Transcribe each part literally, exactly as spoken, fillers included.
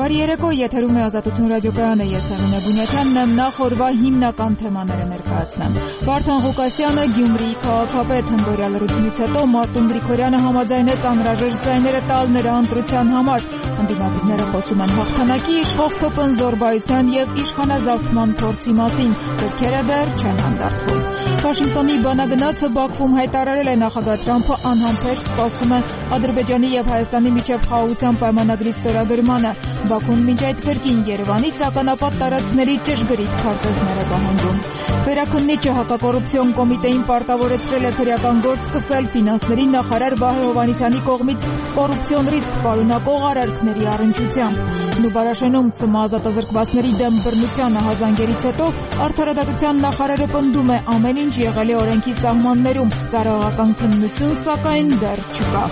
Բարի երեկո, եթերում է Ազատություն ռադիոկայանը, ես Արինե Բունյաթյանն եմ, նախ օրվա հիմնական թեմաները ներկայացնեմ։ Վարդան Ղուկասյանը, Գյումրիի քաղաքապետ, հնդորյա լրությունից հետո Մարտուն Գրիգորյանը համաձայնեց անհրաժեշտ ձայները տալ նրա ընտրության համար։ Ընդդիմադիրները խոսում են հաղթանակի, իշխող ԿՊ-ն զոռբայության եւ իշխանազավթման փորձի մասին, դեպքերը դեռ չեն հանդարտվում։ Վաշինգտոնի բանագնացը Բաքվում հայտարարել է նախագահ Թրամփը անհամբեր սպասում է Ադրբեջանի եւ Հայաստանի միջև խաղաղության պայմանագրի ստորագրմանը։ Բաքուն մինչ այդ կրկին Երևանից ականապատ տարածքների ճշգրիտ քարտեզներ է պահանջում։ Վերաքննիչը հակակոռուպցիոն կոմիտեին պարտավորեցրել է քրեական գործ սկսել ֆինանսների նախարար Վահե Հովհաննիսյանի կողմից կոռուպցիոն ռիսկ պարունակող արարքների առնչությամբ։ Նուբարաշենում ՑՄ ազատազրկվածների դեմ բռնության ահազանգերից հետո արդարադատության նախարարը պնդում է ամեն ինչ եղել է օրենքի սահմաններում, ծառայողական քննություն սակայն դեռ չկա։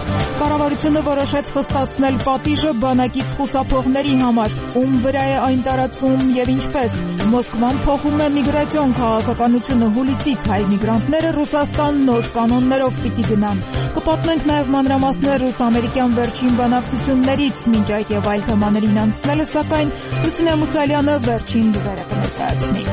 Կառավարությունը որոշեց խստացնել պատիժը բանակից խուսափողների համար, ում վրա է այն տարածվում եւ ինչպես։ Մոսկվան փոխում է միգրացիոն քաղաքականությունը, հուլիսից հայ միգրանտները Ռուսաստան նոր կանոններով պիտի գնան։ Կպատմենք նաեւ մանրամասներ ռուս-ամերիկյան վերջին բանակցություններից, մինչ այդ եւ այլ թեմաներին անցնելը, սակայն Լուսինե Մուսալյանը վերջին լուրերը կներկայացնի։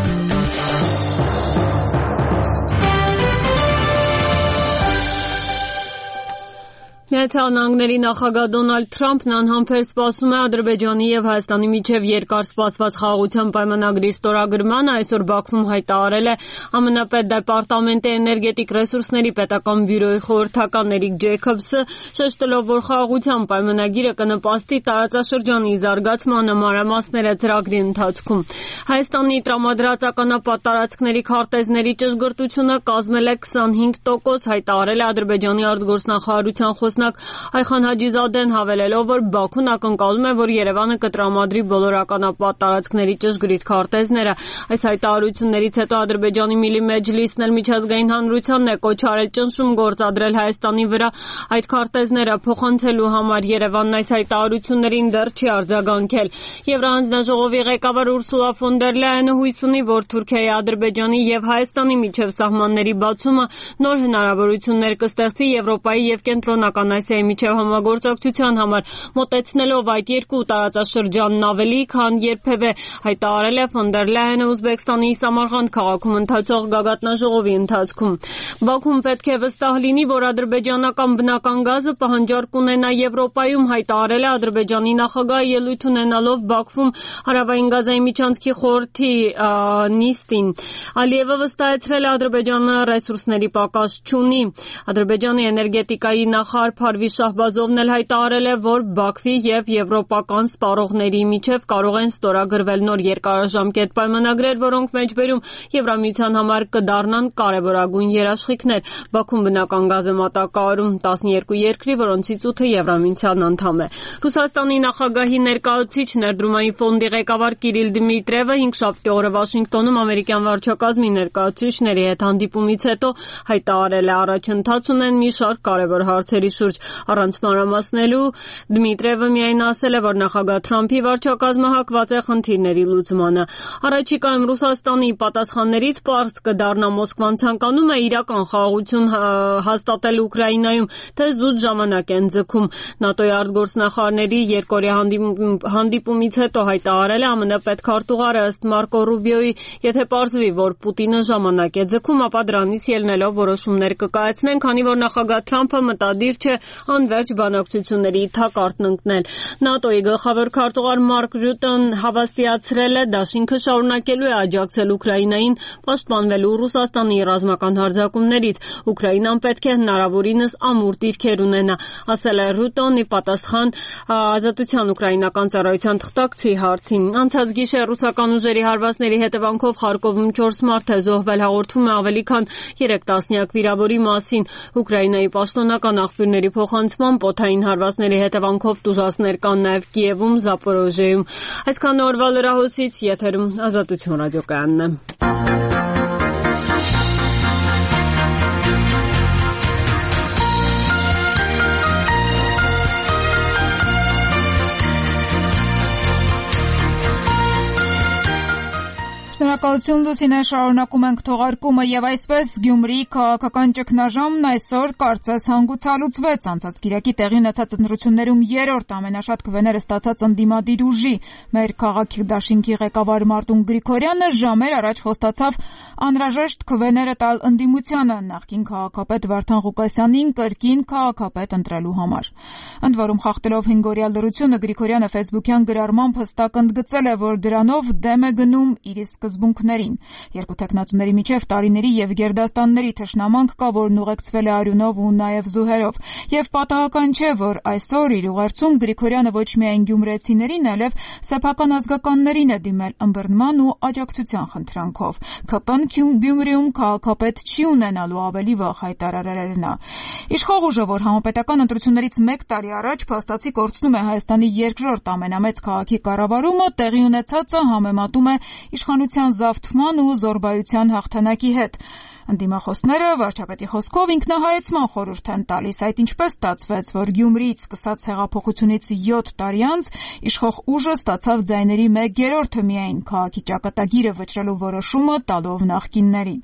Միացյալ Նահանգների նախագահ Դոնալդ Թրամփն անհամբեր սպասում է Ադրբեջանի եւ Հայաստանի միջև երկար սպասված խաղաղության պայմանագրի ստորագրմանը, այսօր Բաքվում հայտարարել է ԱՄՆ պետդեպարտամենտի էներգետիկ ռեսուրսների պետական բյուրոյի խորհրդական Էրիկ Ջեյքոբսը, շեշտելով, որ խաղաղության պայմանագիրը կնպաստի տարածաշրջանի զարգացմանը մանրամասները ծրագրի ընթացքում։ Հայաստանի տրամադրած ականապատ տարածքների քարտեզների ճշգրտությունը կազմել է քսանհինգ տոկոս, հայտարարել է Ադրբեջանի արտգործնախարարության խոսնակ Այխան Հաջիզադեն, հավելելով, որ Բաքուն ակնկալում է, որ Երևանը կտրամադրի բոլոր ականապատ տարածքների ճշգրիտ քարտեզները։ Այս հայտարարություններից հետո Ադրբեջանի Միլի Մեջլիսն էլ միջազգային հանրությանն է կոչ արել ճնշում գործադրել Հայաստանի վրա այդ քարտեզները փոխանցելու համար։ Երևանն այս հայտարարություններին դեռ չի արձագանքել։ Եվրահանձնաժողովի ղեկավար Ուրսուլա ֆոն դեր Լայենը հույս ունի, որ Թուրքիայի, Ադրբեջանի եւ Հայաստանի միջև սահմանների բացումը նոր հնարավորություններ կստեղծի Եվրոպայի եւ Կենտրոնական Ասիայի միջև համագործակցության համար, մոտեցնելով այդ երկու տարածաշրջանն ավելի քան երբևէ, հայտարարել է ֆոն դեր Լայենը Ուզբեկստանի Սամարղանդ քաղաքում ընթացող գագաթնաժողովի ընթացքում։ Բաքուն պետք է վստահ լինի, որ ադրբեջանական բնական գազը պահանջարկ կունենա Եվրոպայում, հայտարարել է Ադրբեջանի նախագահը ելույթ ունենալով Բաքվում Հարավային գազային միջանցքի խորհրդի նիստին։ Ալիևը վստահեցրել է Ադրբեջանը ռեսուրսների պակաս չունի։ Ադրբեջանի էներգետիկայի նախարար Փարվիզ Շահբազովն էլ հայտարարել է, որ Բաքվի եւ եվրոպական սպառողների միջև կարող են ստորագրվել նոր երկարաժամկետ պայմանագրեր, որոնք մեջբերում Եվրամիության համար կդառնան կարևորագույն երաշխիքներ։ Բաքուն բնական գազ է մատակարարում տասնյոթ երկրի, որոնցից ութը Եվրամիության անդամ է։ Ռուսաստանի նախագահի ներկայացուցիչ ներդրումային ֆոնդի ղեկավար Կիրիլ Դմիտրիևը հինգշաբթի օրը Վաշինգտոնում ամերիկյան վարչակազմի ներկայացուցիչների հետ հանդիպումից հետո հայտարարել է առաջընթաց ունեն մի շարք կարևոր հարցերի շուրջ։ Առանց մանրամասնելու Դմիտրիևը միայն ասել է, որ նախագահ Թրամփի վարչակազմը հակված է խնդիրների լուծմանը։ Առաջիկայում Ռուսաստանի պատասխաններից պարզ կդառնա Մոսկվան ցանկանում է իրական խաղաղություն հաստատել Ուկրաինայում, թե զուտ ժամանակ են ձգում։ ՆԱՏՕ-ի արտգործնախարարների երկօրյա հանդիպումից հետո հայտարարել է ԱՄՆ պետքարտուղարը ըստ Մարկո Ռուբիոյի, եթե պարզվի, որ Պուտինը ժամանակ է ձգում, ապա դրանից ելնելով որոշումներ կկայացնեն, քանի որ նախագահ Թրամփը մտադիր չէ անվերջ բանակցությունների թակարդն ընկնել։ ՆԱՏՕ-ի գլխավոր քարտուղար Մարկ Ռյուտեն հավաստիացրել է, դաշինքը շարունակելու է աջակցել Ուկրաինային պաշտպանվելու Ռուսաստանի ռազմական հարձակումներից։ Ուկրաինան պետք է հնարավորինս ամուր դիրքեր ունենա, ասել է Ռյուտոնի պատասխան Ազատության ուկրաինական ծառայության թղթակցի հարցին։ Անցած գիշեր ռուսական ուժերի հարվածների հետևանքով Խարկովում չորս մարդ է զոհվել, հաղորդվում է ավելի քան երեք տասնյակ վիրավորի մասին։ Ուկրաինայի պաշտոնական աղբյուրների փոխանցմամբ օդային հարվածների հետևանքով տուժածներ կան նաև Կիևում, Զապորոժիեում։ Այսքան օրվա լրահոսից եթերում Ազատություն ռադիոկայանն է։ Շնորհակալություն Լուսինե, շարունակում ենք թողարկումը եւ այսպես Գյումրի քաղաքական ճգնաժամն այսօր կարծես հանգուցալուծվեց։ Անցած կիրակի տեղի ունեցած ընտրություններում երրորդ ամենաշատ քվեները ստացած ընդդիմադիր ուժի մեր քաղաքի դաշինքի ղեկավար Մարտուն Գրիգորյանը ժամեր առաջ խոստացավ անհրաժեշտ քվեները տալ ընդդիմությանը նախկին քաղաքապետ Վարդան Ղուկասյանին կրկին քաղաքապետ ընտրելու համար։ Ընդ որում խախտելով հինգօրյա լրությունը Գրիգորյանը ֆեյսբուքյան գրառմամբ հստակ ընդգծել է, որ դրանով դեմ է գնում իր սկզբունքներին։ Երկու տեխնատուների միջև տարիների եւ գերդաստանների թշնամանք կա, որն ուղեկցվել է արյունով ու նաեւ զուհերով։ Եվ պատահական չէ, որ այսօր իր ուղերձում Գրիգորյանը ոչ միայն գյումրեցիներին, այլև սեփական ազգականներին է դիմել ըմբռնման ու աջակցության խնդրանքով։ ՔՊ-ն Գյումրիում քաղաքապետ չի ունենալու, ավելի վաղ հայտարարել նա։ Իշխող ուժը, որ համապետական ընտրություններից մեկ տարի առաջ փաստացի կորցնում է Հայաստանի երկրորդ ամենամեծ քաղաքի կառավարումը, տեղի ունեցածը համեմատում է իշխանության զավթման ու զոռբայության հաղթանակի հետ։ Ընդդիմախոսները վարչապետի խոսքով ինքնահայեցման խորհուրդ են տալիս, այդ ինչպես ստացվեց, որ Գյումրիից սկսած հեղափոխությունից յոթ տարի անց իշխող ուժը ստացավ ձայների մեկ երրորդը միայն քաղաքի ճակատագիրը վճռելու որոշումը տալով նախկիններին։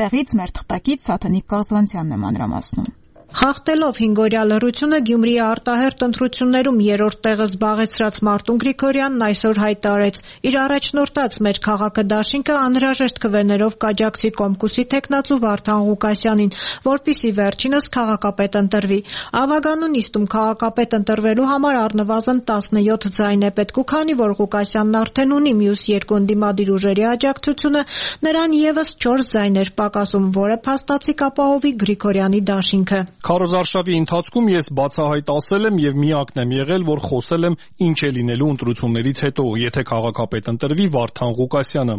Տեղից մեր թղթակից Սաթանիկ Կազանցյանն է մանրամասնում։ Խախտելով հինգօրյա լռությունը Գյումրիի արտահերթ ընտրություններում երրորդ տեղը զբաղեցրած Մարտուն Գրիգորյանն այսօր հայտարարեց. իր առաջնորդած մեր քաղաքը դաշինքը անհրաժեշտ քվեներով կաջակցի Կոմկուսի թեկնածու Վարդան Ղուկասյանին, որպեսզի վերջինս քաղաքապետ ընտրվի։ Ավագանու նիստում քաղաքապետ ընտրվելու համար առնվազն տասնյոթ ձայն է պետք, ու քանի որ Ղուկասյանն արդեն ունի մյուս երկու ընդդիմադիր ուժերի աջակցությունը, նրան եւս չորս ձայներ պակասում, որը փաստացի կապահովի Գրիգորյանի դաշինքը։ Քարոզարշավի ընթացքում ես բացահայտ ասել եմ եւ միակն եմ եղել, որ խոսել եմ ինչ է լինելու ընտրություններից հետո, եթե քաղաքապետ ընտրվի Վարդան Ղուկասյանը։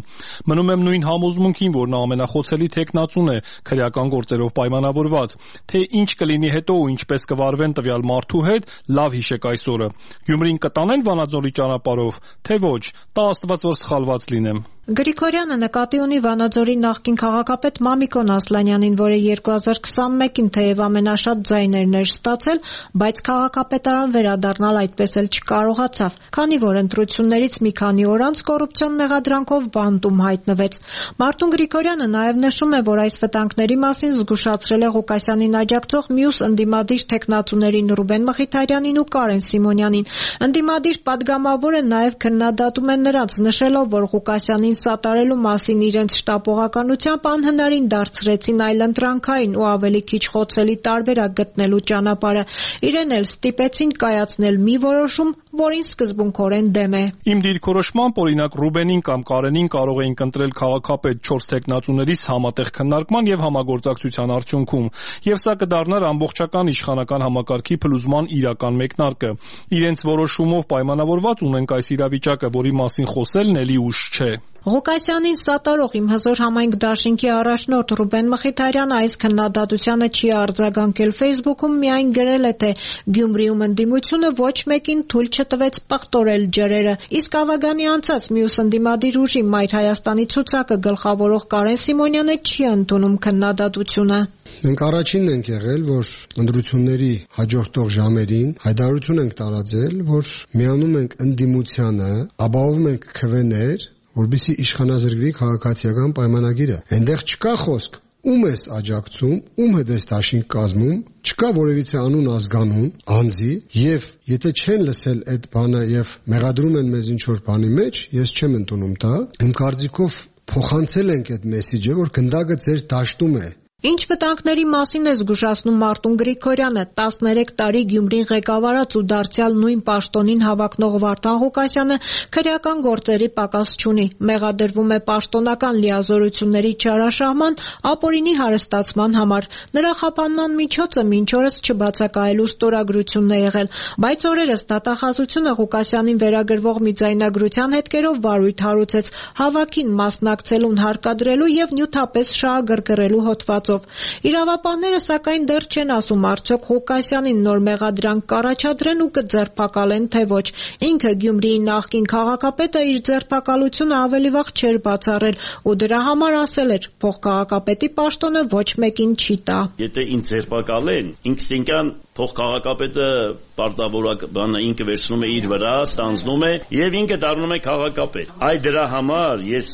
Մնում եմ նույն համոզմունքին, որ նա ամենախոցելի թեկնածուն է, քրեական գործերով պայմանավորված, թե ինչ կլինի հետո ու ինչպես կվարվեն տվյալ մարդու հետ, լավ հիշեք այսօրը։ Գյումրին կտանեն Վանաձորի ճանապարհով, թե ոչ, տա Աստված, որ սխալված լինեմ։ Գրիգորյանը նկատի ունի Վանաձորի նախկին քաղաքապետ Մամիկոն Ասլանյանին, որը երկու հազար քսանմեկին թեև ամենաշատ ձայներն էր ստացել, բայց քաղաքապետարան վերադառնալ այդպես էլ չկարողացավ, քանի որ ընտրություններից մի քանի օր անց կոռուպցիոն մեղադրանքով բանտում հայտնվեց։ Մարտուն Գրիգորյանը նաև նշում է, որ այս վտանգների մասին զգուշացրել է Ղուկասյանին աջակցող մյուս ընդդիմադիր թեկնածուներին Ռուբեն Մխիթարյանին ու Կարեն Սիմոնյանին։ Ընդդիմադիր падգամավորը նաև քննադատում է նրանց, նշելով, որ Ղուկասյանին սատարելու մասին իրենց շտապողականությամբ անհնարին դարձրեցին այլընտրանքային ու ավելի քիչ խոցելի տարբերակ գտնելու ճանապարհը։ Իրեն էլ ստիպեցին կայացնել մի որոշում, որին սկզբունքորեն դեմ է։ Իմ դիրքորոշմամբ, օրինակ Ռուբենին կամ Կարենին կարող էինք ընտրել քաղաքապետ չորս տեխնատուներից համատեղ քննարկման եւ համագործակցության արդյունքում, եւ սա կդառնար ամբողջական իշխանական համակարգի փլուզման իրական մեկնարկը։ Իրենց որոշումով պայմանավորված ունենք այս իրավիճակը, որի մասին խոսելն էլի ուշ չէ։ Ղուկասյանին սատարող իմ հզոր համայնք դաշինքի առաջնորդ Ռուբեն Մխիթարյանը այս քննադատությանը չի արձագանքել Facebook-ում, միայն գրել է, թե Գյումրիում ընդդիմությունը ոչ մեկին թույլ չտվեց պղտորել ջրերը, իսկ ավագանի անցած մյուս ընդդիմադիր ուժի Մայր Հայաստանի ցուցակը գլխավորող Կարեն Սիմոնյանը չի ընդունում քննադատությունը։ Մենք առաջինն ենք եղել, որ ընտրությունների հաջորդող ժամերին հայտարարություն ենք տարածել, որ միանում ենք ընդդիմությանը, ապահովում ենք քվեներ, որպեսզի իշխանազրկվի քաղաքացիական պայմանագիրը։ Այնտեղ չկա խոսք ում ես աջակցում, ում հետ ես դաշինք կազմում, չկա որևիցե անուն ազգանուն, անձի, եւ եթե չեն լսել այդ բանը եւ մեղադրում են մեզ ինչ որ բանի մեջ, ես չեմ ընդունում դա։ Իմ կարծիքով փոխանցել ենք այդ մեսեջը, որ գնդակը ձեր դաշտում է։ Ինչ վտանգների մասին է զգուշացնում Մարտուն Գրիգորյանը, տասներեք տարի Գյումրին ղեկավարած ու դարձյալ նույն պաշտոնին հավակնող Վարդան Ղուկասյանը քրեական գործերի պակաս չունի, մեղադրվում է պաշտոնական լիազորությունների չարաշահման, ապօրինի հարստացման համար։ Նրա խափանման միջոցը մինչ օրս չբացակայելու ստորագրությունն է եղել, բայց օրերս դատախազությունը Ղուկասյանին վերագրվող մի ձայնագրության հետքերով վարույթ հարուցեց, հավաքին մասնակցելուն հարկադրելու եւ նյութապես շահագրգռելու հոդվածով։ մասով։ Իրավապահները սակայն դեռ չեն ասում արդյոք Ղուկասյանին նոր մեղադրանք կառաջադրեն ու կձերբակալեն թե ոչ։ Ինքը Գյումրիի նախկին քաղաքապետը իր ձերբակալությունը ավելի վաղ չէր բացառել ու դրա համար ասել էր փոխքաղաքապետի պաշտոնը ոչ մեկին չի տա։ Եթե ինձ ձերբակալեն, ինքնին փոխքաղաքապետը պարտավորակ բանը ինքը վերցնում է իր վրա, ստանձնում է եւ ինքը դառնում է քաղաքապետ։ Այ դրա համար ես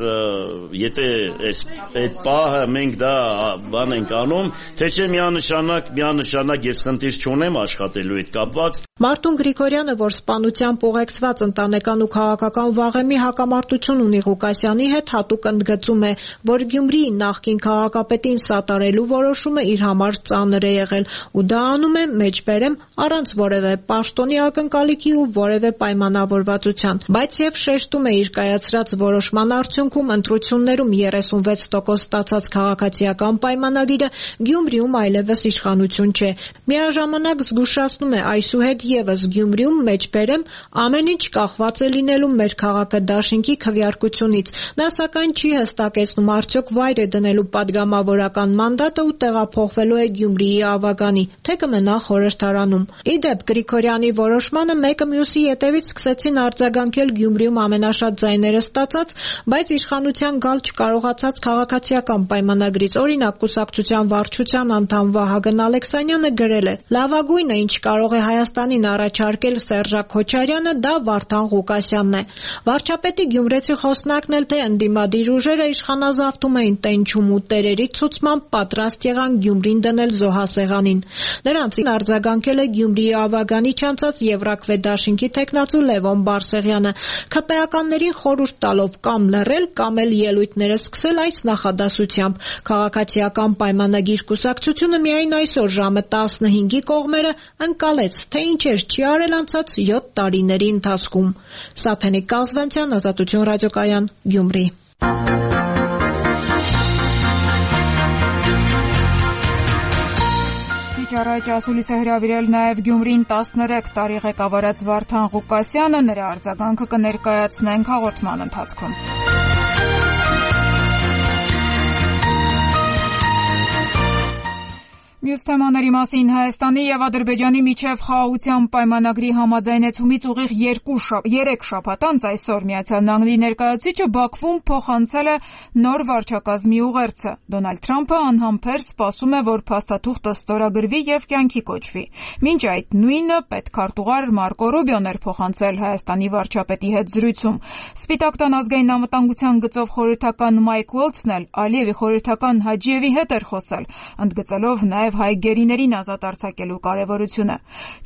եթե այս այդ պահը մենք դա բան ենք անում, թե չէ միանշանակ միանշանակ ես խնդիր չունեմ աշխատելու հետ կապված։ Մարտուն Գրիգորյանը, որ սպանությամբ ուղեկցված ընտանեկան ու քաղաքական վաղեմի հակամարտություն ունի Ղուկասյանի հետ, հատուկ ընդգծում է, որ Գյումրիի նախկին քաղաքապետին սատարելու որոշումը իր համար ծանր է եղել ու դա անում է մեջբերեմ առանց որևէ պաշտոնի ակնկալիքի ու որևէ պայմանավորվածության, բայց եւ շեշտում է իր կայացրած որոշման արդյունքում ընտրություններում երեսունվեց տոկոս ստացած քաղաքացիական պայմանագիրը Գյումրիում այլևս իշխանություն չէ։ Միաժամանակ զգուշացնում է այսուհետ եւս Գյումրիում մեջբերեմ ամեն ինչ կախված է լինելու մեր քաղաքադաշինքի քվեարկությունից։ Նա սակայն չի հստակեցնում արդյոք վայր է դնելու падգամավորական մանդատը ու տեղափոխվելու է Գյումրիի ավագանի, թե կմնա խորհրդարանում։ Իդեպ Գրիգորյանի որոշմանը մեկը մյուսի ետևից սկսեցին արձագանքել Գյումրիում ամենաշատ ձայները ստացած, բայց իշխանության գալ չկարողացած քաղաքացիական պայմանագրից օրինակ կուսակցության վարչության անդամ Վահագն Ալեքսանյանը գրել է. «Լավագույնը, ինչ կարող է Հայաստանին առաջարկել Սերժակ Քոչարյանը, դա Վարդան Ղուկասյանն է»։ Վարչապետի գյումրեցի խոսնակն էլ թե ընդդիմադիր ուժերը իշխանազավթում էին տենչում ու տերերի ցուցմամբ պատրաստ եղան Գյումրին դնել զոհասեղանին։ Նրանցին արձագանքել է Գյումրիի ավագանի չանցած Եվրաքվեդաշինքի թեկնածու Լևոն Բարսեղյանը, ՔՊԷ-ականներին խորհուրդ տալով կամ լռել, կամ էլ ելույթները սկսել այս նախադասությամբ. «Քաղաքացիական պայմանագիր կուսակցությունը միայն այսօր ժամը տասնհինգի կողմերը ընկալեց, թե ինչեր չի արել անցած յոթ տարիների ընթացքում»։ Սաթենիկ Կազվանցյան, Ազատություն ռադիոկայան, Գյումրի։ Առաջ ասուլիսը հրավիրել նաև Գյումրին տասներեք տարի ղեկավարած Վարդան Ղուկասյանը, նրա արձագանքը կներկայացնենք հաղորդման ընթացքում։ Մյուս թեմաների մասին Հայաստանի եւ Ադրբեջանի միջև խաղաղության պայմանագրի համաձայնեցումից ուղիղ երեք շաբաթ անց այսօր Միացյալ Նահանգների ներկայացուցիչը Բաքվում փոխանցել է նոր վարչակազմի ուղերձը։ Դոնալդ Թրամփը անհամբեր սպասում է, որ փաստաթուղթը ստորագրվի եւ կյանքի կոչվի։ Մինչ այդ նույնը պետքարտուղար Մարկո Ռուբիոն էր փոխանցել Հայաստանի վարչապետի հետ զրույցում։ Սպիտակ տան ազգային անվտանգության գծով խորհրդական Մայք Ուոլցն էլ Ալիևի խորհրդական Հաջիևի հետ էր խոսել, ընդգծելով նաեւ հայ գերիներին ազատ արձակելու կարևորությունը։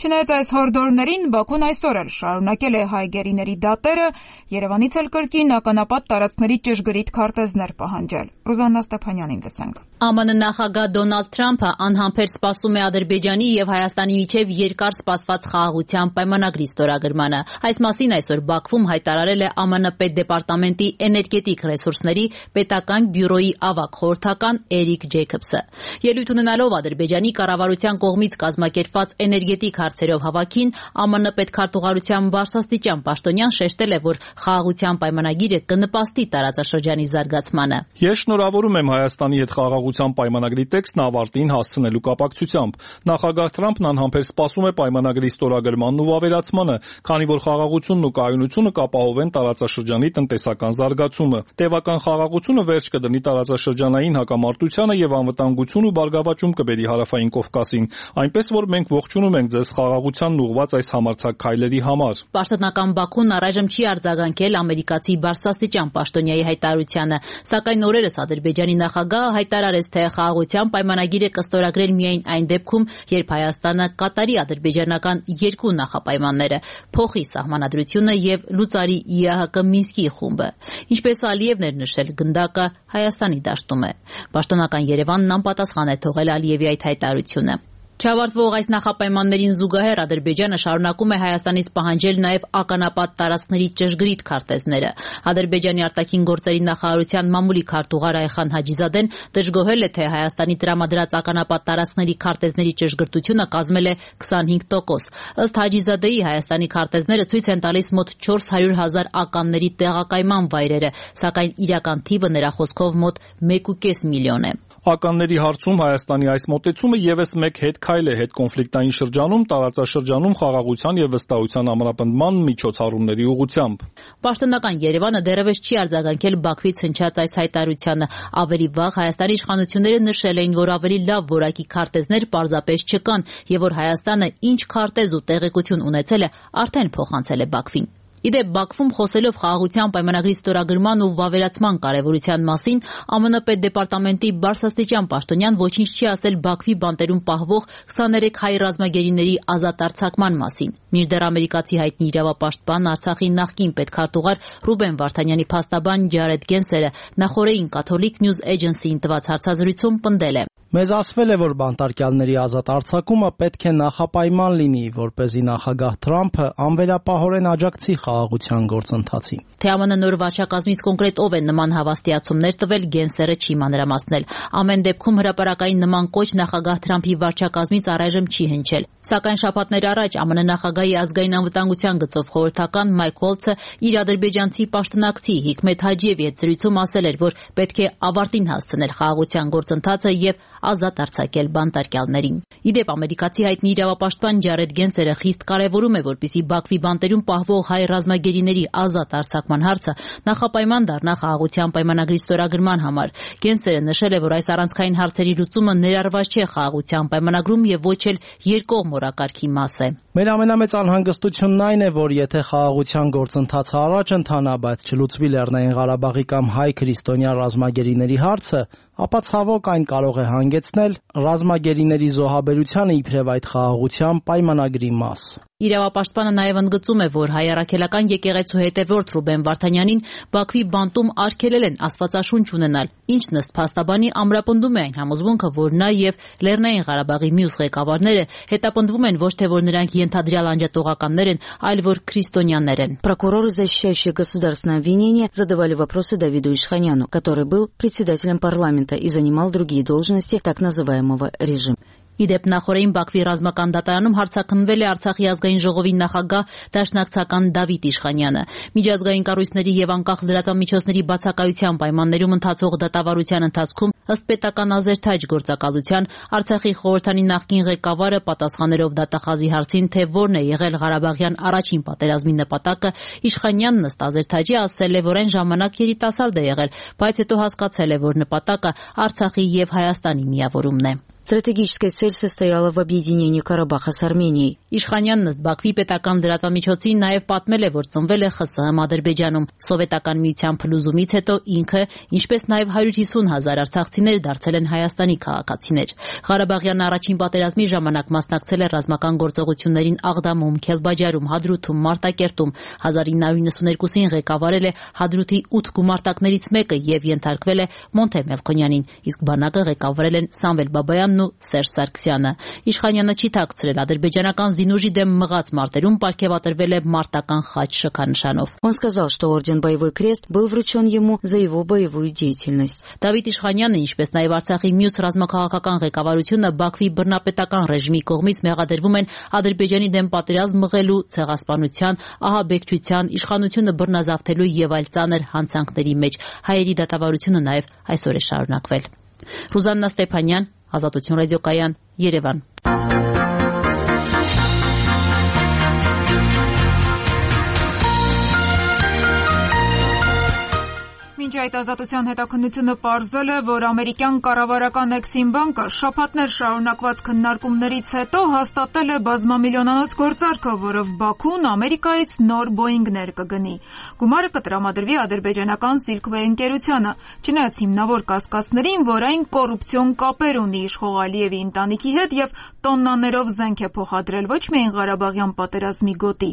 Չնայած այս հորդորներին, Բաքուն այսօր էլ շարունակել է հայ գերիների դատերը, Երևանից էլ կրկին ականապատ տարածքների ճշգրիտ քարտեզներ պահանջել։ Ռուզաննա Ստեփանյանին լսենք։ ԱՄՆ նախագահ Դոնալդ Թրամփը անհամբեր սպասում է Ադրբեջանի եւ Հայաստանի միջև երկար սպասված խաղաղության պայմանագրի ստորագրմանը։ Այս մասին այսօր Բաքվում հայտարարել է ԱՄՆ պետդեպարտամենտի էներգետիկ ռեսուրսների պետական բյուրոյի ավագ խորհրդական Էրիկ Ջեյքոբսը։ Ելույթ ունենալով Ադրբեջանի կառավարության կողմից կազմակերպված էներգետիկ հարցերով հավաքին ԱՄՆ պետքարտուղարության բարձրաստիճան պաշտոնյան շեշտել է, որ խաղաղության պայմանագիրը կնպաստի տարածաշրջանի զարգացմանը։ Ես շնորհավորում եմ Հայաստանի հետ խաղաղության պայմանագրի տեքստն ավարտին հասցնելու կապակցությամբ։ Նախագահ Թրամփն անհամբեր սպասում է պայմանագրի ստորագրմանն ու ավերացմանը, քանի որ խաղաղությունն ու կայունությունը կապահովեն տարածաշրջանի տնտեսական զարգացումը։ Տևական խաղաղությունը վերջ կդնի տարածաշրջանային հակամարտությանը եւ անվտանգություն ու բարգավաճում կբերի Հարավային Կովկասին, այնպես որ մենք ողջունում ենք ձեզ խաղաղությանն ուղղված այս համարձակ քայլերի համար։ Պաշտոնական Բաքուն առայժմ չի արձագանքել ամերիկացի բարձրաստիճան պաշտոնյայի հայտարարությանը, սակայն օրերս Ադրբեջանի նախագահը հայտարարեց, թե խաղաղության պայմանագիրը կստորագրել միայն այն դեպքում, երբ Հայաստանը կատարի ադրբեջանական երկու նախապայմանները՝ փոխի սահմանադրությունը եւ լուծարի ի ԱՀԿ Մինսկի խումբը։ Ինչպես Ալիևն էր նշել, գնդակը Հայաստանի դաշտում է։ Պաշտոնական Երևանն անպատասխան է թողել Ալիևի այդ հայտարարությունը։ Չավարտվող այս նախապայմաններին զուգահեռ Ադրբեջանը շարունակում է Հայաստանից պահանջել նաև ականապատ տարածքների ճշգրիտ քարտեզները։ Ադրբեջանի արտաքին գործերի նախարարության մամուլի քարտուղար Այխան Հաջիզադեն դժգոհել է, թե Հայաստանի տրամադրած ականապատ տարածքների քարտեզների ճշգրտությունը կազմել է քսանհինգ տոկոս։ Ըստ Հաջիզադեի Հայաստանի քարտեզները ցույց են տալիս մոտ չորս հարյուր հազար ականների տեղակայման վայրերը, սակայն իրական թիվը նրա խոսքով մոտ մեկ ու կես միլիոն է։ Ականների հարցում Հայաստանի այս մոտեցումը ևս մեկ հետքայլ է հետկոնֆլիկտային շրջանում, տարածաշրջանում խաղաղության եւ վստահության ամրապնդման միջոցառումների ուղղությամբ։ Պաշտոնական Երևանը դեռևս չի արձագանքել Բաքվից հնչած այս հայտարարությանը։ Ավելի վաղ Հայաստանի իշխանությունները նշել էին, որ ավելի լավ որակի քարտեզներ պարզապես չկան եւ որ Հայաստանը ինչ քարտեզ ու տեղեկություն ունեցել է, արդեն փոխանցել է Բաքվին։ Իդեպ Բաքվում խոսելով խաղաղության պայմանագրի ստորագրման ու վավերացման կարևորության մասին, ԱՄՆ պետդեպարտամենտի բարձրաստիճան պաշտոնյան ոչինչ չի ասել Բաքվի բանտերում պահվող քսաներեք հայ ռազմագերիների ազատ արձակման մասին։ Մինչդեռ ամերիկացի հայտնի իրավապաշտպան Արցախի նախկին պետքարտուղար Ռուբեն Վարդանյանի փաստաբան Ջարեդ Գենսերը նախորդին Catholic News Agency-ին տված հարցազրույցում պնդել է. Մեզ ասվել է, որ բանտարկյալների ազատ արձակումը պետք է նախապայման լինի, որպեսզի նախագահ Թրամփը անվերապահորեն աջակցի խաղաղության գործընթացին։ Թե ԱՄՆ նոր վարչակազմից կոնկրետ ով է նման հավաստիացումներ տվել, Գենսերը չի մանրամասնել։ Ամեն դեպքում հրապարակային նման կոչ նախագահ Թրամփի վարչակազմից առայժմ չի հնչել։ Սակայն շաբաթներ առաջ ԱՄՆ նախագահի ազգային անվտանգության գծով խորհրդական Մայք Ուոլցը իր ադրբեջանցի պաշտոնակցի Հիկմետ Հաջիևի հետ զրույցում ասել էր, որ պետք է ավարտին հասցնել խաղաղության գործընթացը եւ ազատ արձակել բանտարկյալներին։ Իդեպ ամերիկացի հայտնի իրավապաշտպան Ջարեդ Գենսերը խիստ կարևորում է, որպեսզի Բաքվի բանտերում պահվող հայ ռազմագերիների ազատ արձակման հարցը նախապայման դառնա խաղաղության պայմանագրի ստորագրման համար։ Գենսերը նշել է, որ այս առանցքային հարցերի լուծումը ներառված չէ խաղաղության պայմանագրում եւ ոչ էլ երկկողմ օրակարգի մաս է։ Մեր ամենամեծ անհանգստությունն այն է, որ եթե խաղաղության գործընթացը առաջ ընթանա, բայց չլուծվի Լեռնային Ղարաբաղի կամ հայ քրիստոնյա ռազմագերիների հարցը, ապա ցավոք այն կարող է հանգեցնել ռազմագերիների զոհաբերությանը իբրև այդ խաղաղության պայմանագրի մաս։ Իրավապաշտպանը նաև ընդգծում է, որ հայ առաքելական եկեղեցու հետևորդ Ռուբեն Վարդանյանին Բաքվի բանտում արգելել են աստվածաշունչ ունենալ, ինչն ըստ փաստաբանի ամրապնդում է այն համոզմունքը, որ նա եւ Լեռնային Ղարաբաղի մյուս ղեկավարները հետապնդվում են ոչ թե որ նրանք ենթադրյալ անջատողականներ են, այլ որ քրիստոնյաներ են։ Прокуроры, защищающие государственное обвинение, задавали вопросы Давиду Ишханяну, который был председателем парламента и занимал другие должности так называемого режима. Իդեպ նախորդին Բաքվի ռազմական դատարանում հարցաքննվել է Արցախի ազգային ժողովի նախագահ դաշնակցական Դավիթ Իշխանյանը։ Միջազգային կառույցների եւ անկախ լրատվամիջոցների բացակայության պայմաններում ընթացող դատավարության ընթացքում ըստ պետական ազերթաջ գործակալության Արցախի խորհրդանի նախկին ղեկավարը պատասխաներով դատախազի հարցին, թե որն է եղել Ղարաբաղյան առաջին պատերազմի նպատակը, Իշխանյանն ըստ ազերթաջի ասել է, որ այն ժամանակ երիտասարդ է եղել, բայց հետո հասկացել է, որ նպատակը Արցախի եւ Հայաստանի միավորումն է։ Стратегическая цель состояла в объединении Карабаха с Арменией. Իշխանյանն ըստ Բաքվի պետական լրատվամիջոցին նաև պատմել է, որ ծնվել է ԽՍՀՄ Ադրբեջանում։ Սովետական միության փլուզումից հետո ինքը, ինչպես նաև հարյուր հիսուն հազար արցախցիներ դարձել են Հայաստանի քաղաքացիներ։ Ղարաբաղյան առաջին պատերազմի ժամանակ մասնակցել է ռազմական գործողություններին Աղդամում, Քելբաջարում, Հադրութում, Մարտակերտում։ հազար ինը հարյուր նվսաներկուսին ղեկավարել է Հադրութի ութ գումարտակներից մեկը եւ ենթարկվել է Մոնթե Մելքոնյանին, իսկ բանակը ղեկավարել են Սամվել Բաբայանն ու Սերժ Սարգսյանը։ Իշխանյանը չի թաքցրել ադրբեջանական զինուժի դեմ մղած մարտերում պարգևատրվել է մարտական խաչ շքանշանով։ Он сказал, что орден Боевой крест был вручен ему за его боевую деятельность. Դավիթ Իշխանյանը, ինչպես նաև Արցախի մյուս ռազմաքաղաքական ղեկավարությունը Բաքվի բռնապետական ռեժիմի կողմից մեղադրվում են Ադրբեջանի դեմ պատերազմ մղելու, ցեղասպանության, ահաբեկչության, իշխանությունը բռնազավթելու եւ այլ ծանր հանցանքների մեջ։ Հայերի դատավարությունը նաև այսօր է շարունակվել։ Ռուզաննա Ստեփանյան, Ազատություն ռադիոկայան, Երևան։ Մինչ այդ ազատության հետաքննությունը պարզել է, որ ամերիկյան կառավարական Էքսիմ բանկը շաբաթներ շարունակված քննարկումներից հետո հաստատել է բազմամիլիոնանոց գործարքը, որով Բաքուն Ամերիկայից նոր Boeing-ներ կգնի։ Գումարը կտրամադրվի ադրբեջանական Silkway ընկերությանը, չնայած հիմնավոր կասկածներին, որ այն կոռուպցիոն կապեր ունի իշխող Ալիևի ընտանիքի հետ եւ տոննաներով զենք է փոխադրել ոչ միայն Ղարաբաղյան պատերազմի գոտի,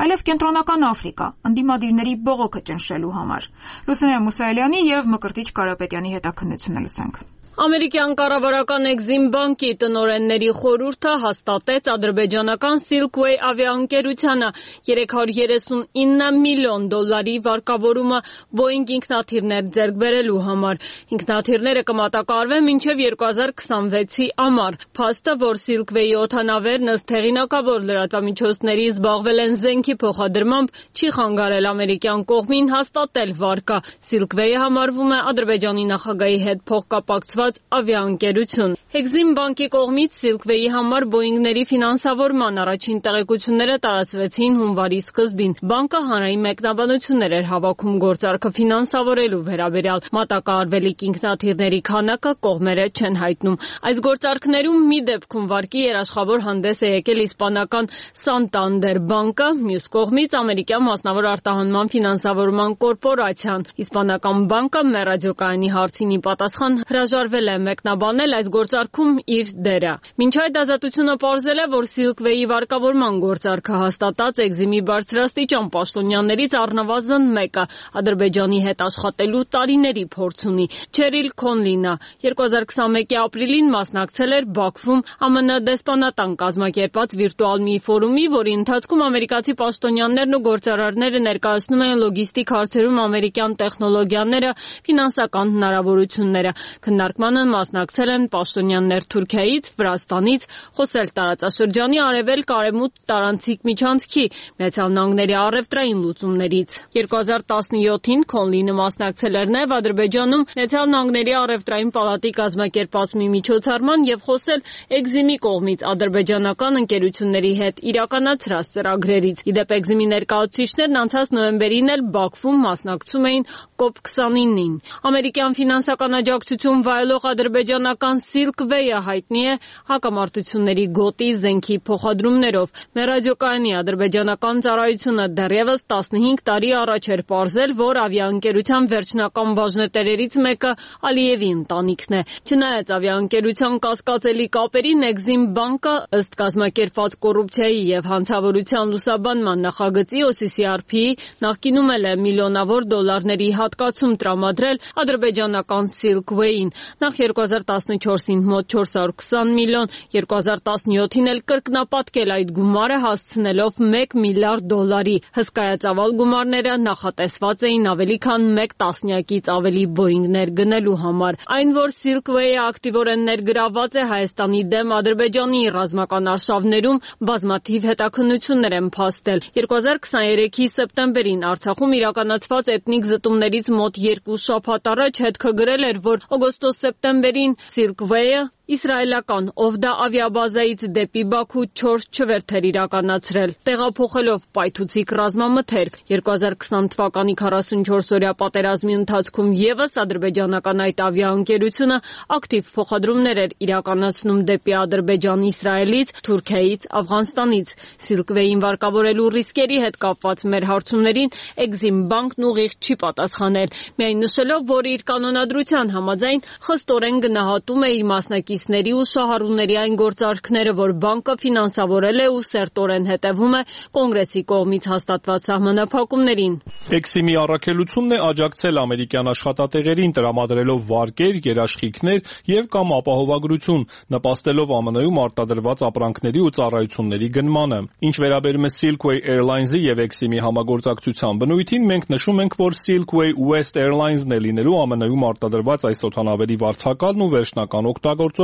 այլև Կենտրոնական Աֆրիկա, ընդդիմադիրների բողոքը ճնշելու համար։ Լուսինե Մուսայելյանի եւ Մկրտիչ Կարապետյանի հետաքննությունը լսենք։ Ամերիկյան կառավարական Էքսիմ բանկի տնօրենների խորհուրդը հաստատեց ադրբեջանական Silkway ավիաընկերությանը երեք հարյուր երեսունինը միլիոն դոլարի վարկավորումը Boeing ինքնաթիռներ ձեռք բերելու համար։ Ինքնաթիռները կմատակարարվեն մինչև երկու հազար քսանվեցի ամառ։ Փաստը, որ Silkway-ի օդանավերն ըստ հեղինակավոր լրատվամիջոցների զբաղվել են զենքի փոխադրմամբ, չի խանգարել ամերիկյան կողմին հաստատել վարկը։ Silkway-ը համարվում է Ադրբեջանի նախագահի հետ փոխկապակցված կոչված ավիաընկերություն։ Exim բանկի կողմից Silkway-ի համար Boeing-ների ֆինանսավորման առաջին տեղեկությունները տարածվեցին հունվարի սկզբին։ Բանկը հանրային մեկնաբանություններ էր հավաքում գործարքը ֆինանսավորելու վերաբերյալ։ Մատակարարվելիք ինքնաթիռների քանակը կողմերը չեն հայտնում։ Այս գործարքներում մի դեպքում վարկի երաշխավոր հանդես է եկել իսպանական Santander բանկը, մյուս կողմից ամերիկյան մասնավոր արտահանման ֆինանսավորման կորպորացիան։ Իսպանական բանկը մեր ռադիոկայանի հարցին ի պատասխան հրաժարվել է մեկնաբանել այս գործարքում իր դերը։ Մինչ այդ ազատությունը պարզել է, որ Silkway-ի վարկավորման գործարքը հաստատած Exim-ի բարձրաստիճան պաշտոնյաներից առնվազն մեկը Ադրբեջանի հետ աշխատելու տարիների փորձ ունի։ Չերիլ Քոնլինը երկու հազար քսանմեկի ապրիլին մասնակցել էր Բաքվում ԱՄՆ դեսպանատան կազմակերպած վիրտուալ մի ֆորումի, որի ընթացքում ամերիկացի պաշտոնյաներն ու գործարարները ներկայացնում են լոգիստիկ հարցերում ամերիկյան տեխնոլոգիաները, ֆինանսական հնարավորությունները։ Քննարկմանը մասնակցել են պաշտոնյաներ Թուրքիայից, Վրաստանից, խոսել տարածաշրջանի արևելք արևմուտք տարանցիկ միջանցքի, Միացյալ Նահանգների առևտրային լուծումներից։ երկու հազար տասնյոթին Քոնլինը մասնակցել էր նաև Ադրբեջանում Միացյալ Նահանգների առևտրային պալատի կազմակերպած մի միջոցառման եւ խոսել Exim-ի կողմից ադրբեջանական ընկերությունների հետ իրականացրած ծրագրերից։ Իդեպ Exim-ի ներկայացուցիչներն անցած նոյեմբերին էլ Բաքվում մասնակցում էին կոպ քսանինին։ Ամերիկյան ֆինանսական աջակցություն վայելող ադրբեջանական Silkway-ը հայտնի է հակամարտությունների գոտի զենքի փոխադրումներով։ Մեր ռադիոկայանի ադրբեջանական ծառայությունը դեռևս տասնհինգ տարի առաջ էր պարզել, որ ավիաընկերության վերջնական բաժնետերերից մեկը Ալիևի ընտանիքն է։ Չնայած ավիաընկերության կասկածելի կապերին, Exim բանկը ըստ կազմակերպված կոռուպցիայի եւ հանցավորության լուսաբանման նախագծի O C C R P-ի նախկինում էլ է միլիոնավոր դոլարների հատկացում տրամադրել ադրբեջանական Silkway-ին։ Նախ երկու հազար տասնչորսին մոտ չորս հարյուր քսան միլիոն, երկու հազար տասնյոթին էլ կրկնապատկել այդ գումարը հասցնելով մեկ միլիարդ դոլարի։ Հսկայածավալ գումարները նախատեսված էին ավելի քան մեկ տասնյակից ավելի Boeing-ներ գնելու համար։ Այն, որ Silkway-ը ակտիվորեն ներգրավված է Հայաստանի դեմ Ադրբեջանի ռազմական արշավներում, բազմաթիվ հետաքննություններ են փաստել։ երկու հազար քսաներեքի սեպտեմբերին Արցախում իրականացված էթնիկ զտումներից մոտ երկու շաբաթ առաջ հետքը գրել էր, որ օգոստոս-սեպտեմբերին Silkway-ը իսրայելական Ovda ավիաբազայից դեպի Բաքու չորս չվերթ էր իրականացրել, տեղափոխելով պայթուցիկ ռազմամթերք։ երկու հազար քսան թվականի քառասունչորսօրյա պատերազմի ընթացքում ևս ադրբեջանական այդ ավիաընկերությունը ակտիվ փոխադրումներ էր իրականացնում դեպի Ադրբեջան Իսրայելից, Թուրքիայից, Աֆղանստանից։ Silkway-ին վարկավորելու ռիսկերի հետ կապված մեր հարցումներին Exim բանկն ուղիղ չի պատասխանել, միայն նշելով, որ իր կանոնադրության համաձայն խստորեն գնահատում է իր մասնակից ների ու շահառուների այն գործարքները, որ բանկը ֆինանսավորել է ու սերտորեն հետևում է կոնգրեսի կողմից հաստատված սահմանափակումներին։ Exim-ի առաքելությունն է աջակցել ամերիկյան աշխատատեղերին տրամադրելով վարկեր, երաշխիքներ եւ կամ ապահովագրություն, նպաստելով ԱՄՆ-ում արտադրված ապրանքների ու ծառայությունների գնմանը։ Ինչ վերաբերում է Silkway Airlines-ի եւ Exim-ի համագործակցության բնույթին, մենք նշում ենք, որ Silkway West Airlines-ն է լինելու ԱՄՆ-ում արտադրված այս օդանավերի վարձակալն ու վերջնական օգտագործողը,